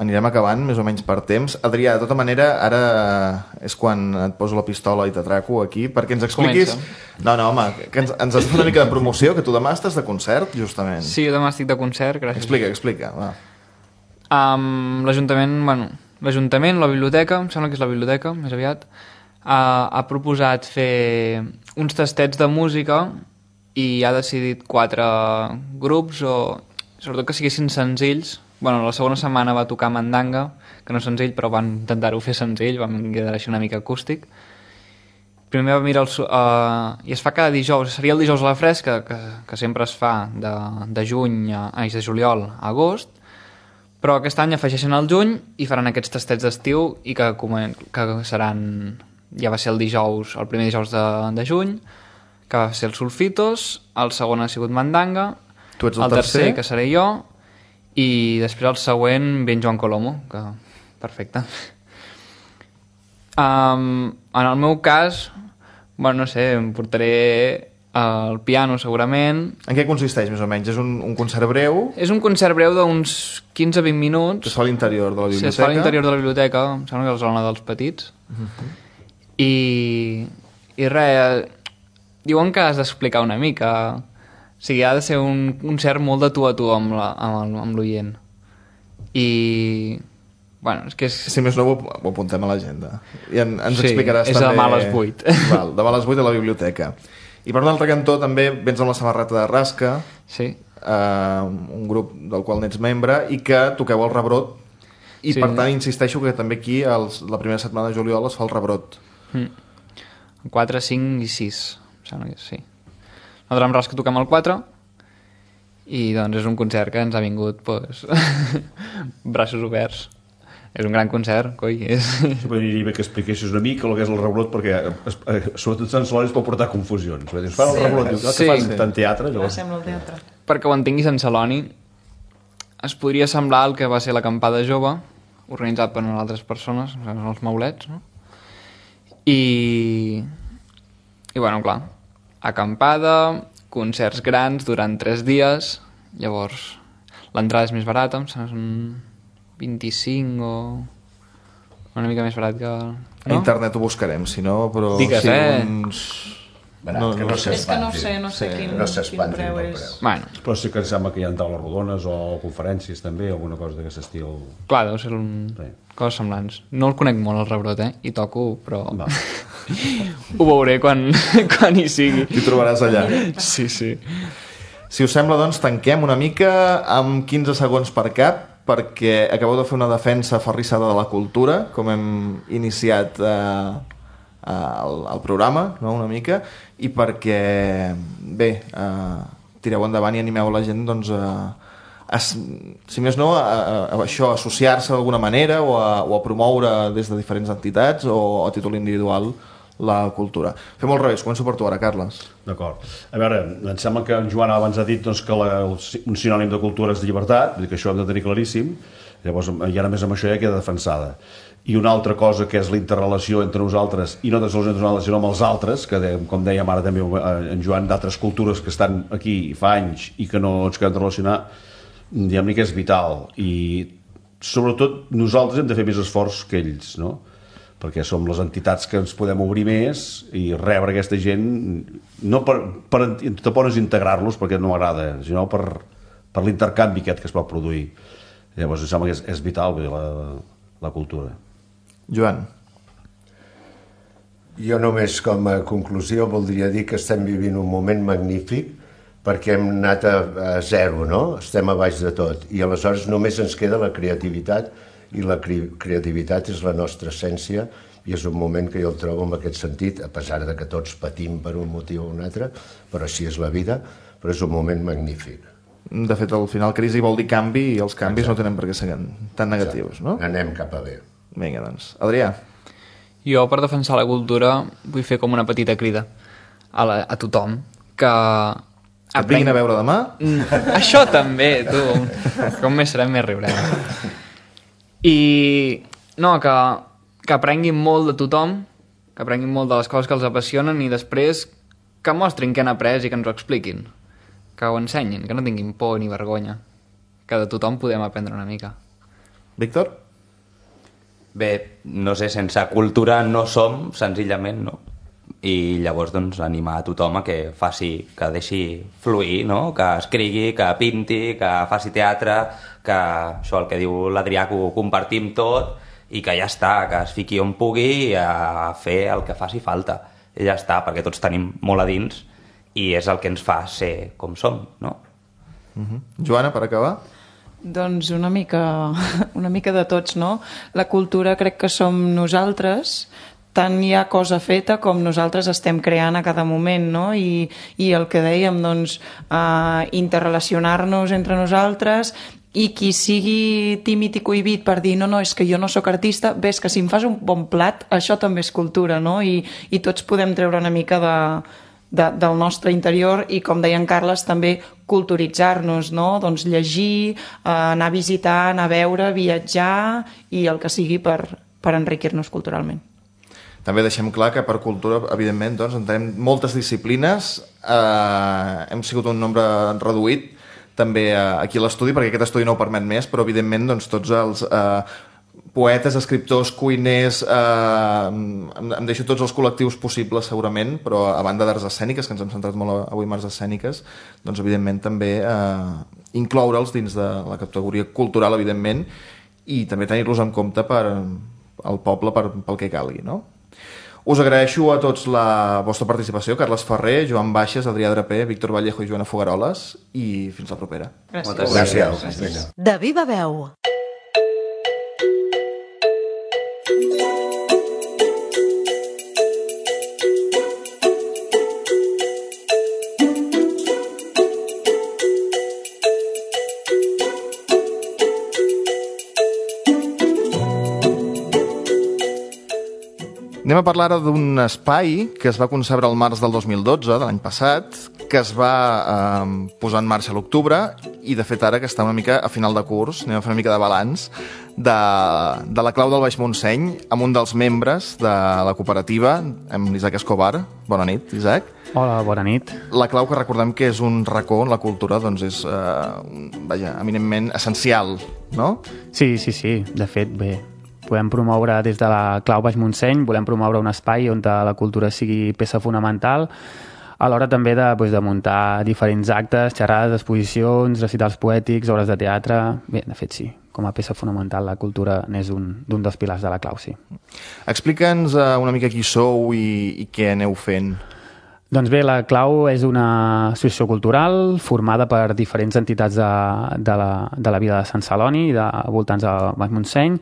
anirem acabant més o menys per temps. Adrià, de tota manera, ara és quan et poso la pistola i t'atraco aquí perquè ens expliquis... No, home, que ens has fet una mica de promoció, que tu demà estàs de concert, justament. Sí, jo demà estic de concert, gràcies. Explica, va. L'ajuntament, la biblioteca, em sembla que és la biblioteca, més aviat, ha proposat fer uns tastets de música i ha decidit 4 grups, o sobretot que siguessin senzills. Bueno, la segona setmana va tocar Mandanga, que no és senzill, però van intentar-ho fer senzill, van quedar així una mica acústic. Primer va mirar i es fa cada dijous, seria el dijous a la fresca, que sempre es fa de juliol a agost, però aquest any afegeixen el juny i faran aquests tastets d'estiu i que seran, ja va ser el primer dijous de juny, que va ser el Sulfitos, el segon ha sigut Mandanga, tu ets el tercer, que seré jo, i després el següent ben Joan Colomo, que perfecte. En el meu cas, bueno, no sé, em portaré el piano segurament. En què consisteix més o menys? És un concert breu? És un concert breu d'uns 15-20 minuts. Que es fa a l'interior de la biblioteca? Sí, es fa a l'interior de la biblioteca, em sembla que és la zona dels petits. I res, diuen que has d'explicar una mica. O sigui, ha de ser un concert molt de tu a tu amb l'oient. I... Bueno, és que és... Si més no, ho apuntem a l'agenda. I ens explicaràs també... Sí, és demà a les 8. Val, demà a les 8 a la biblioteca. I per un altre cantó també vens amb la samarreta de Rasca, sí. Un grup del qual n'ets membre, i que toqueu el Rebrot. I per tant insisteixo que també aquí la primera setmana de juliol es fa el Rebrot. 4, 5 i 6, em sembla que sí. Nosaltres amb Rasca toquem el 4 i doncs és un concert que ens ha vingut braços oberts. És un gran concert, coi. Podria bé que expliquessis una mica el que és el Rebrot, perquè sobretot Sant Celoni es pot portar confusions. Fan el Rebrot, que fan tant teatre. Sembla el teatre. Perquè ho entengui Sant Celoni, es podria semblar el que va ser l'acampada jove, organitzat per altres persones, els maulets, no? I bueno, clar, acampada, concerts grans durant 3 dies, llavors l'entrada és més barata, em sembla un 25 o una mica més barat que... No? A internet ho buscarem, si no, però... Digues, uns... No, que no és que no sé quin preu és. Bueno. Però sí que em sembla que hi ha taules rodones o conferències també, alguna cosa d'aquest estil. Clar, deu ser coses semblants. No el conec molt, el Rebrot, i toco, però ho veuré quan hi sigui. T'hi trobaràs allà. Sí. Si us sembla, doncs, tanquem una mica amb 15 segons per cap, perquè acabeu de fer una defensa aferrissada de la cultura, com hem iniciat al programa, no? Una mica, i perquè bé, tireu endavant i animeu la gent doncs si més no a això, associar-se d'alguna manera o a promoure des de diferents entitats o a títol individual la cultura. Fem al revés, començo per tu ara, Carles. D'acord. A veure, em sembla que en Joan abans ha dit doncs, que un sinònim de cultura és de llibertat, vull dir que això ho hem de tenir claríssim. Llavors, i ara més amb això ja queda defensada. I una altra cosa que és la interrelació entre nosaltres, i no tan sols entre nosaltres sinó amb els altres, que com dèiem ara també en Joan, d'altres cultures que estan aquí fa anys i que no ens acabem de relacionar, diguem-ne que és vital. I sobretot nosaltres hem de fer més esforç que ells, no? Perquè som les entitats que ens podem obrir més i rebre aquesta gent, no tampoc és integrar-los perquè no m'agrada, sinó per l'intercanvi aquest que es pot produir. Llavors em sembla que és vital la cultura. Joan. Jo només com a conclusió voldria dir que estem vivint un moment magnífic perquè hem anat a zero, no? Estem a baix de tot i aleshores només ens queda la creativitat i la creativitat és la nostra essència i és un moment que jo el trobo en aquest sentit, a pesar de que tots patim per un motiu o un altre, però així és la vida, però és un moment magnífic. De fet, al final crisi vol dir canvi i els canvis no tenen per què ser tan negatius, no? Anem cap a bé. Vinga, doncs. Adrià. Jo, per defensar la cultura, vull fer com una petita crida a tothom que et vinguin a veure demà? Això també, tu. Com més serem, més riurem. I no, que aprenguin molt de tothom, que aprenguin molt de les coses que els apassionen i després que mostrin què han après i que ens ho expliquin, que ho ensenyin, que no tinguin por ni vergonya, que de tothom podem aprendre una mica. Víctor? Bé, no sé, sense cultura no som, senzillament, no? I llavors, doncs, animar a tothom a que faci, que deixi fluir, no? Que escrigui, que pinti, que faci teatre, que això, el que diu l'Adrià, que ho compartim tot i que ja està, que es fiqui on pugui a fer el que faci falta. I ja està, perquè tots tenim molt a dins i és el que ens fa ser com som, no? Joana, per acabar? Doncs una mica de tots, no? La cultura crec que som nosaltres, tant hi ha cosa feta com nosaltres estem creant a cada moment, no? I el que dèiem, doncs, interrelacionar-nos entre nosaltres, i qui sigui tímid i cohibit per dir no, és que jo no sóc artista, ves que si em fas un bon plat, això també és cultura, no? I tots podem treure una mica del nostre interior i, com deia en Carles, també culturitzar-nos, no? Doncs llegir, anar a visitar, anar a veure, viatjar i el que sigui per enriquir-nos culturalment. També deixem clar que per cultura, evidentment, doncs, entenem moltes disciplines, hem sigut un nombre reduït també aquí a l'estudi, perquè aquest estudi no ho permet més, però evidentment doncs, tots els poetes, escriptors, cuiners, em deixo tots els col·lectius possibles segurament, però a banda d'arts escèniques, que ens hem centrat molt avui en arts escèniques, doncs evidentment també incloure'ls dins de la categoria cultural, evidentment, i també tenir-los en compte per al poble pel que calgui, no? Us agraeixo a tots la vostra participació, Carles Ferrer, Joan Baixes, Adrià Draper, Víctor Vallejo i Joana Fogaroles, i fins la propera. Moltes Gràcies. De viva veu. Anem a parlar ara d'un espai que es va concebre al març del 2012, de l'any passat, que es va posar en marxa a l'octubre i, de fet, ara que està una mica a final de curs, anem a fer una mica de balanç de la Clau del Baix Montseny amb un dels membres de la cooperativa, amb l'Isaac Escobar. Bona nit, Isaac. Hola, bona nit. La Clau, que recordem que és un racó on la cultura doncs, és eminentment essencial, no? Sí. De fet, bé, podem promoure des de la Clau Baix Montseny, volem promoure un espai on la cultura sigui peça fonamental, a l'hora també de muntar diferents actes, xerrades, exposicions, recitals poètics, obres de teatre. Bé, de fet, sí, com a peça fonamental la cultura n'és un dels pilars de la Clau, sí. Explica'ns una mica qui sou i què aneu fent. Doncs bé, la Clau és una associació cultural formada per diferents entitats de la vila de Sant Celoni i de voltants del Baix Montseny,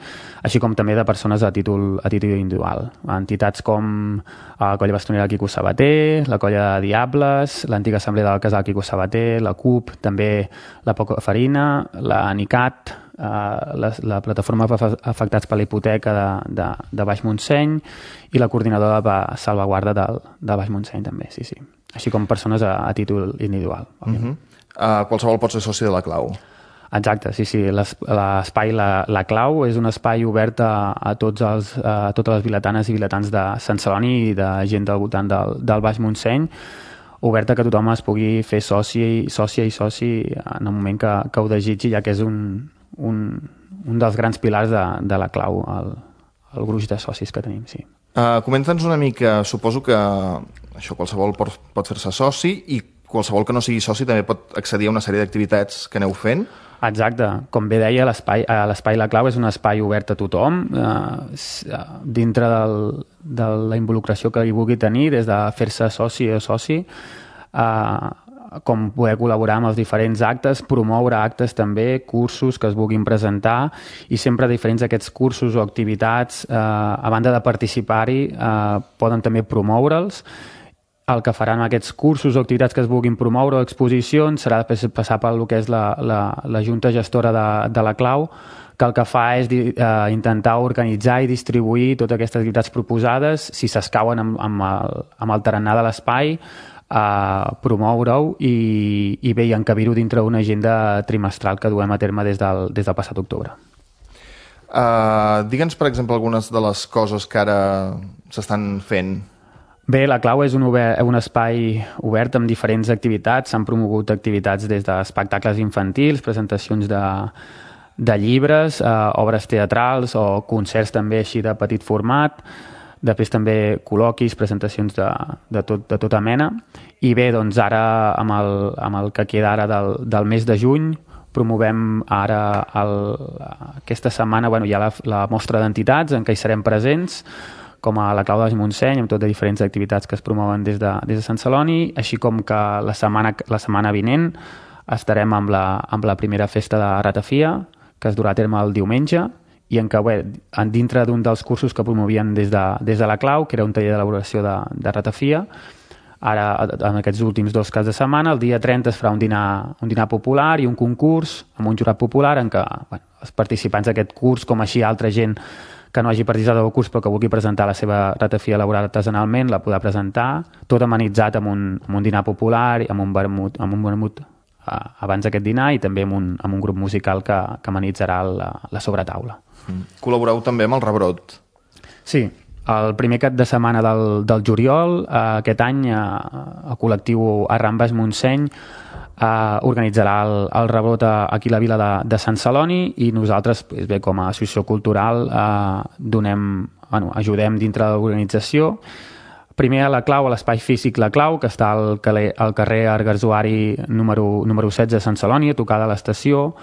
així com també de persones a títol individual. Entitats com la Colla Bastonera del Quico Sabater, la Colla de Diables, l'antiga assemblea del Casal Quico Sabater, la CUP, també la Poca Farina, la NICAT, la plataforma afectats per la hipoteca de Baix Montseny i la coordinadora de salvaguarda de Baix Montseny també, sí. Així com persones a títol individual. Qualsevol pot ser soci de la Clau. Exacte, sí. L'espai la Clau és un espai obert a totes les vilatanes i vilatans de Sant Celoni i de gent del voltant del Baix Montseny, obert a que tothom es pugui fer soci en el moment que ho desitgi, ja que és un dels grans pilars de la Clau, el gruix de socis que tenim, sí. Comenta'ns una mica, suposo que això qualsevol pot fer-se soci i qualsevol que no sigui soci també pot accedir a una sèrie d'activitats que aneu fent. Exacte, com bé deia, l'espai La Clau és un espai obert a tothom, dintre de la involucració que hi vulgui tenir, des de fer-se soci o soci, com poder col·laborar amb els diferents actes, promoure actes també, cursos que es vulguin presentar, i sempre diferents d'aquests cursos o activitats, a banda de participar-hi, poden també promoure'ls. El que faran aquests cursos o activitats que es vulguin promoure o exposicions serà passar pel que és la Junta Gestora de la Clau, que el que fa és intentar organitzar i distribuir totes aquestes activitats proposades, si s'escauen amb el tarannà de l'espai, promoure-ho i bé, i encabir-ho dintre una agenda trimestral que duem a terme des del passat octubre. Digue'ns, per exemple, algunes de les coses que ara s'estan fent. Bé, la Clau és un espai obert amb diferents activitats. S'han promogut activitats des d'espectacles infantils, presentacions de llibres, obres teatrals o concerts també així de petit format, després també col·loquis, presentacions de tota mena. I bé, doncs ara amb el que queda ara del mes de juny promovem ara aquesta setmana, hi ha la mostra d'entitats en què hi serem presents, com a la Clau de Baix Montseny, amb tot de diferents activitats que es promouen des de Sant Celoni, així com que la setmana vinent estarem amb la primera festa de ratafia, que es durà a terme el diumenge, i en què, dintre d'un dels cursos que promovien des de la Clau, que era un taller d'elaboració de ratafia, ara, en aquests últims 2 caps de setmana, el dia 30 es farà un dinar popular i un concurs amb un jurat popular en què els participants d'aquest curs, com així altra gent que no hagi participat del curs però que vulgui presentar la seva ratafia elaborada artesanalment, la podrà presentar, tot amenitzat amb un dinar popular, amb un vermut abans d'aquest dinar i també amb un grup musical que amenitzarà la sobretaula. Col·laboreu també amb el Rebrot. Sí, el primer cap de setmana del juliol, aquest any el col·lectiu Arran Baix Montseny organitzarà el Rebrot aquí a la vila de Sant Celoni i nosaltres, com a associació cultural, ajudem dintre de l'organització. Primer a la Clau, a l'espai físic La Clau, que està al carrer Argarzuari número 16 de Sant Celoni, a tocar de l'estació.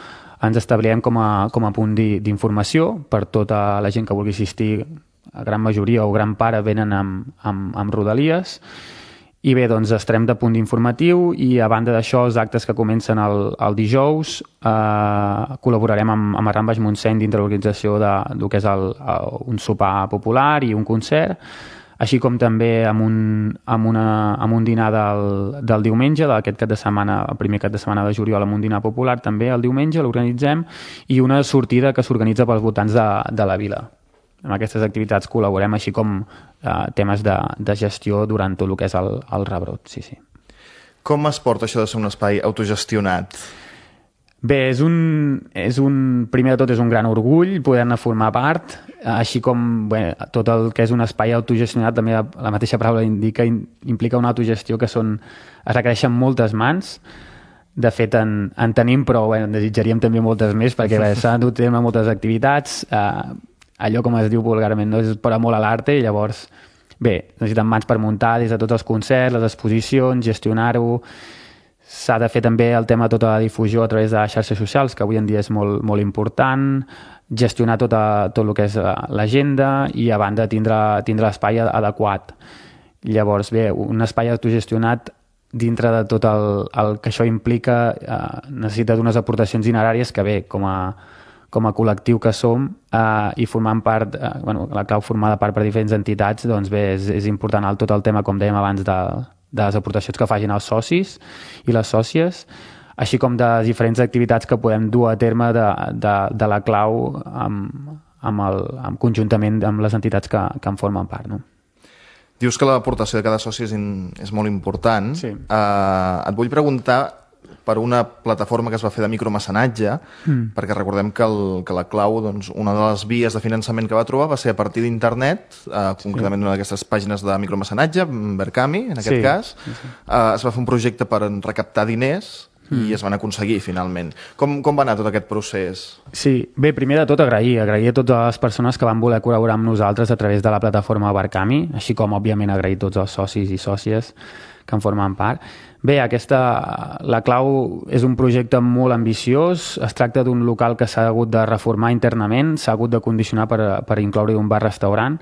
Ens establirem com a punt d'informació per tota la gent que vulgui assistir. A gran majoria o gran part venen amb rodalies. I bé, doncs estarem de punt informatiu i a banda d'això, els actes que comencen el dijous, col·laborarem amb Arran Baix Montseny dintre l'organització del que és un sopar popular i un concert, així com també amb un dinar del diumenge, d'aquest cap de setmana, el primer cap de setmana de juliol, amb un dinar popular també el diumenge, l'organitzem, i una sortida que s'organitza pels voltants de la vila. En aquestes activitats col·laborem, així com temes de gestió durant tot el que és el Rebrot. Sí. Com es porta això de ser un espai autogestionat? Bé, primer de tot és un gran orgull poder-ne formar part, així com tot el que és un espai autogestionat, també la mateixa paraula implica una autogestió que es requereixen moltes mans. De fet, en tenim, però en desitjaríem també moltes més, perquè s'han dut a terme moltes activitats. Allò, com es diu vulgarment, no? És per amor a l'arte, i llavors, necessiten mans per muntar des de tots els concerts, les exposicions, gestionar-ho. S'ha de fer també el tema de tota la difusió a través de xarxes socials, que avui en dia és molt, molt important, gestionar tot el que és l'agenda i, a banda, tindre l'espai adequat. Llavors, un espai autogestionat, dintre de tot el que això implica, necessita d'unes aportacions dineràries que, com a col·lectiu que som i formant part, la Clau formada part per diferents entitats, doncs és important tot el tema, com dèiem abans, de les aportacions que facin els socis i les sòcies, així com de diferents activitats que podem dur a terme de la Clau conjuntament amb les entitats que en formen part. No? Dius que l'aportació de cada soci és molt important. Sí. Et vull preguntar per una plataforma que es va fer de micromecenatge, perquè recordem que la Clau, doncs, una de les vies de finançament que va trobar va ser a partir d'internet, concretament una d'aquestes pàgines de micromecenatge, Verkami, en aquest cas. Es va fer un projecte per recaptar diners i es van aconseguir, finalment. Com va anar tot aquest procés? Sí, bé, primer de tot agrair a totes les persones que van voler col·laborar amb nosaltres a través de la plataforma Verkami, així com, òbviament, agrair tots els socis i sòcies que en formen part. Bé, la Clau és un projecte molt ambiciós. Es tracta d'un local que s'ha hagut de reformar internament, s'ha hagut de condicionar per incloure un bar-restaurant.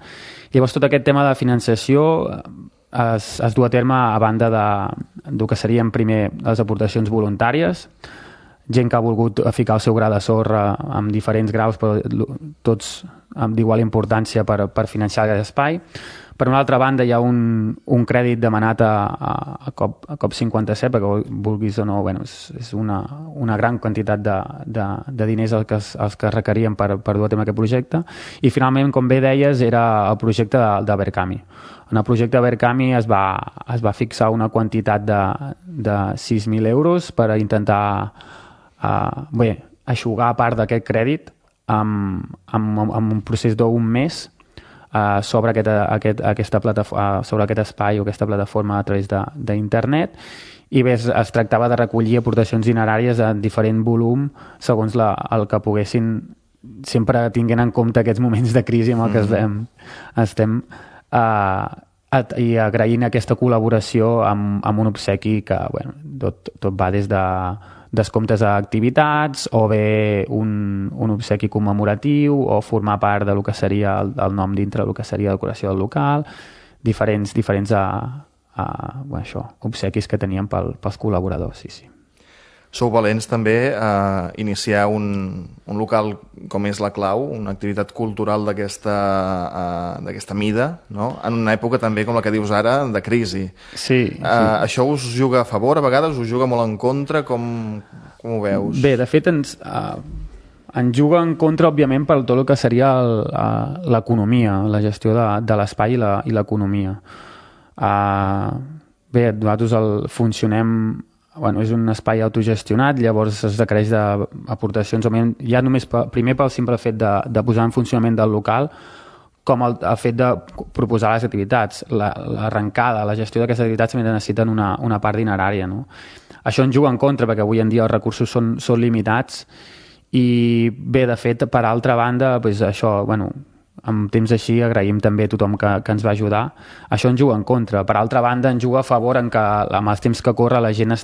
Llavors, tot aquest tema de financiació es du a terme a banda del que serien primer les aportacions voluntàries, gent que ha volgut ficar el seu gra de sorra amb diferents graus, però tots d'igual importància per financiar aquest espai. Per una altra banda, hi ha un crèdit demanat a COP57, perquè vulguis o no, és una gran quantitat de diners els que requerien per dur a terme aquest projecte. I finalment, com bé deies, era el projecte de Verkami. En el projecte de Verkami es va fixar una quantitat de 6.000 euros per intentar eixugar part d'aquest crèdit amb un procés d'un mes sobre aquest espai o aquesta plataforma a través d'internet, i bé, es tractava de recollir aportacions dineràries de diferent volum segons el que poguessin, sempre tinguent en compte aquests moments de crisi amb el que estem i agraint aquesta col·laboració amb un obsequi que tot va des de descomptes a activitats o bé un obsequi commemoratiu o formar part del que seria el nom dintre del que seria la decoració del local, diferents obsequis que teníem pels col·laboradors, sí. Sou valents també a iniciar un local com és La Clau, una activitat cultural d'aquesta mida, no? En una època també, com la que dius ara, de crisi. Sí. Això us juga a favor, a vegades us juga molt en contra, com ho veus? Bé, de fet ens juga en contra, òbviament, per tot el que seria l'economia, la gestió de l'espai i l'economia. Bé, nosaltres funcionem... és un espai autogestionat, llavors es requereix d'aportacions, ja només primer pel simple fet de posar en funcionament del local, com el fet de proposar les activitats. L'arrencada, la gestió d'aquestes activitats també necessiten una part dinerària, no? Això ens juga en contra, perquè avui en dia els recursos són limitats i bé, de fet, per altra banda, això, en temps així agraïm també a tothom que ens va ajudar. Això ens juga en contra. Per altra banda, ens juga a favor en que amb els temps que corre la gent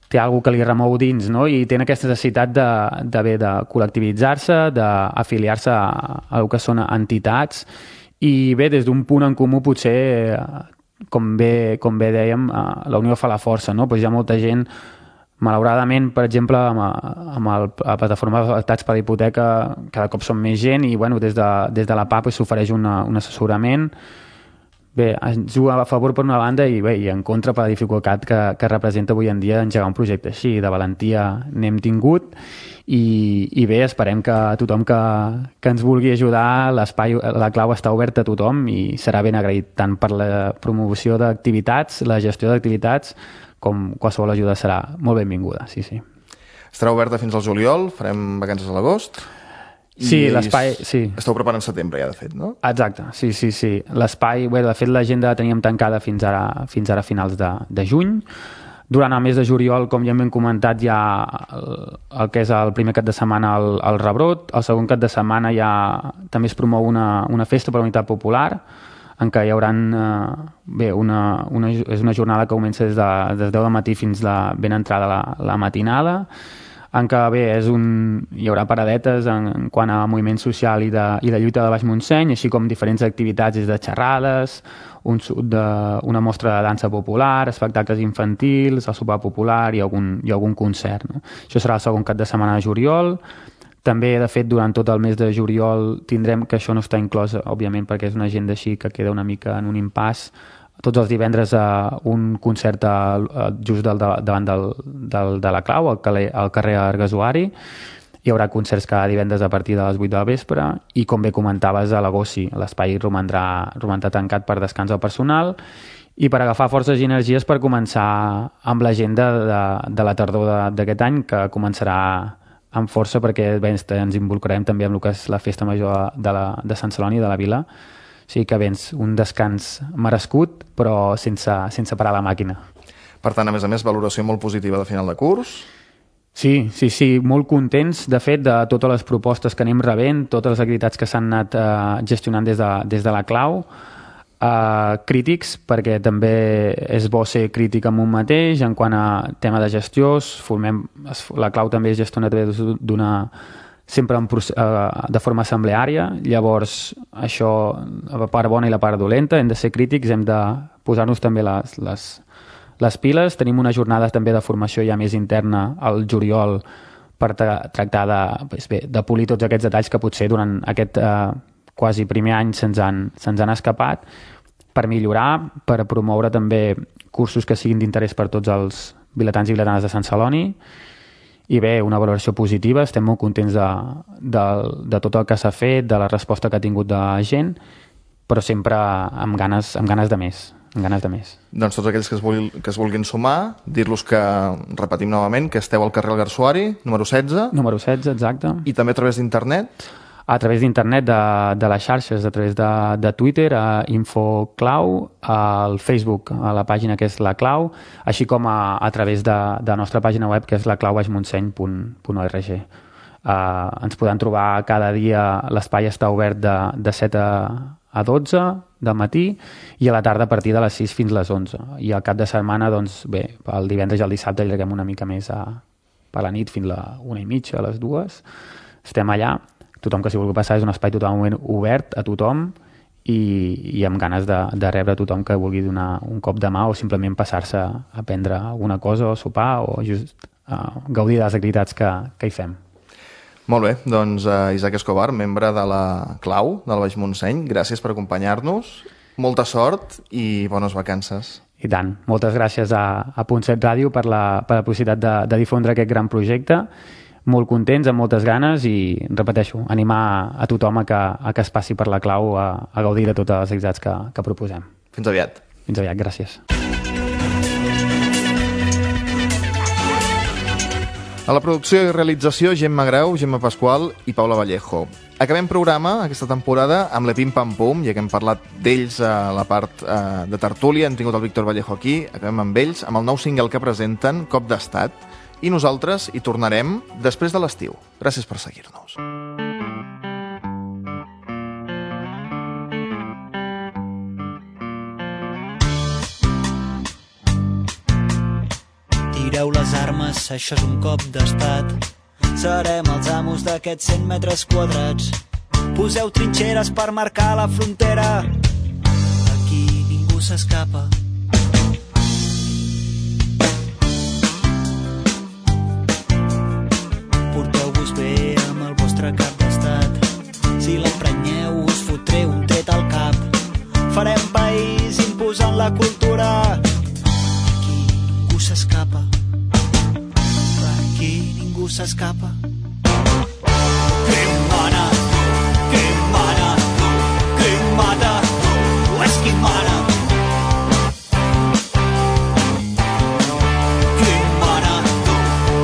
té alguna que li remou dins, no? I té aquesta necessitat de col·lectivitzar-se, d'afiliar-se a el que són entitats i bé, des d'un punt en comú potser, com bé dèiem, la unió fa la força, no? Hi ha molta gent, malauradament, per exemple, amb la plataforma d'afectats per la hipoteca, cada cop som més gent i des de la PA s'ofereix un assessorament. Bé, ens juga a favor per una banda i en contra per la dificultat que representa avui en dia engegar un projecte així. De valentia n'hem tingut i bé, esperem que tothom que ens vulgui ajudar, l'espai, La Clau està oberta a tothom i serà ben agraït tant per la promoció d'activitats, la gestió d'activitats, com qualsevol ajuda serà molt benvinguda, sí. Estarà oberta fins al juliol, farem vacances a l'agost. Sí, l'espai, sí. Esteu preparant setembre ja, de fet, no? Exacte, sí. L'espai, de fet, l'agenda la teníem tancada fins ara a finals de juny. Durant el mes de juliol, com ja hem comentat, hi ha el que és el primer cap de setmana el Rebrot, el segon cap de setmana també es promou una festa per la unitat popular, en què hi haurà és una jornada que comença des de 10 del matí fins ben entrada la matinada, en què hi haurà paradetes en quant a moviment social i de lluita de Baix Montseny, així com diferents activitats des de xerrades, una mostra de dansa popular, espectacles infantils, el sopar popular i algun concert, no? Això serà el segon cap de setmana de juliol. També, de fet, durant tot el mes de juliol tindrem, que això no està inclòs, òbviament, perquè és una agenda així que queda una mica en un impàs, tots els divendres un concert just davant de La Clau, al carrer Argasuari. Hi haurà concerts cada divendres a partir de les 8 del vespre i, com bé comentaves, a l'agost sí, l'espai romandrà tancat per descans del personal i per agafar forces i energies per començar amb l'agenda de la tardor d'aquest any, que començarà amb força perquè ens involucrarem també amb el que és la festa major de Sant Celoni, de la vila. O sigui que un descans merescut, però sense parar la màquina. Per tant, a més, valoració molt positiva de final de curs. Sí, molt contents, de fet, de totes les propostes que anem rebent, totes les activitats que s'han anat gestionant des de La Clau. Crítics, perquè també és bo ser crític amb un mateix en quant a tema de gestió. La Clau també es gestiona sempre de forma assembleària, llavors això, la part bona i la part dolenta, hem de ser crítics, hem de posar-nos també les piles. Tenim una jornada també de formació ja més interna al juliol per tractar de polir tots aquests detalls que potser durant aquest quasi primer any se'ns han escapat, per millorar, per promoure també cursos que siguin d'interès per tots els vilatans i vilatanes de Sant Celoni. I bé, una valoració positiva, estem molt contents de tot el que s'ha fet, de la resposta que ha tingut de la gent, però sempre amb ganes de més. Doncs tots aquells que es vulguin sumar, dir-los que, repetim novament, que esteu al carrer El Garsuari, número 16. Número 16, exacte. I també a través d'internet? a través d'internet, de les xarxes, a través de Twitter, a InfoClau, al Facebook, a la pàgina que és La Clau, així com a través de la nostra pàgina web, que és laclaubaixmontseny.org. Ens podran trobar cada dia, l'espai està obert de 7 a 12 del matí i a la tarda a partir de les 6 fins a les 11. I al cap de setmana, doncs bé, el divendres i el dissabte allarguem una mica més per la nit fins a 1:30, a les 2. Estem allà. Tothom que s'hi vulgui passar, és un espai totalment obert a tothom i amb ganes de rebre tothom que vulgui donar un cop de mà o simplement passar-se a prendre alguna cosa o sopar o just gaudir de les activitats que hi fem. Molt bé, doncs Isaac Escobar, membre de la Clau del Baix Montseny, gràcies per acompanyar-nos, molta sort i bones vacances. I tant, moltes gràcies a Punt 7 Ràdio per la possibilitat de difondre aquest gran projecte, molt contents, amb moltes ganes i, repeteixo, animar a tothom a que es passi per la Clau a gaudir de totes les activitats que proposem. Fins aviat. Fins aviat, gràcies. A la producció i realització, Gemma Grau, Gemma Pasqual i Paula Vallejo. Acabem programa aquesta temporada amb l'Epim Pam Pum, ja que hem parlat d'ells a la part de tertúlia, hem tingut el Víctor Vallejo aquí, acabem amb ells, amb el nou single que presenten, Cop d'Estat, i nosaltres hi tornarem després de l'estiu. Gràcies per seguir-nos. Tireu les armes, això és un cop d'estat. Serem els amos d'aquests 100 metres quadrats. Poseu trinxeres per marcar la frontera. Aquí ningú s'escapa. Porteu-vos bé amb el vostre cap d'estat. Si l'emprenyeu us fotré un tret al cap. Farem país imposant la cultura. Aquí ningú s'escapa. Aquí ningú s'escapa. Qui mana? Qui mana? Qui mata? O és qui mana? Qui mana?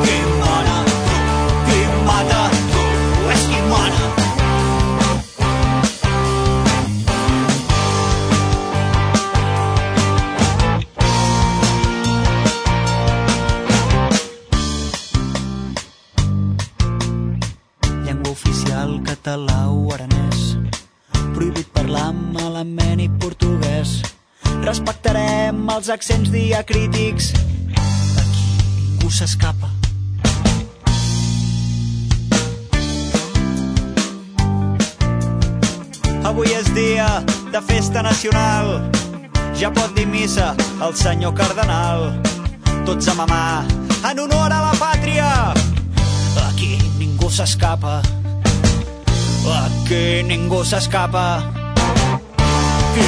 Qui mana? Qui mata? O és qui mana? Oficial català o aranès, prohibit parlar malament i portuguès. Respectarem els accents diacrítics. Aquí ningú s'escapa. Avui és dia de festa nacional. Ja pot dir missa el senyor cardenal. Tots a mamar en honor a la pàtria. Aquí ningú s'escapa. Aquí ningú s'escapa. Qui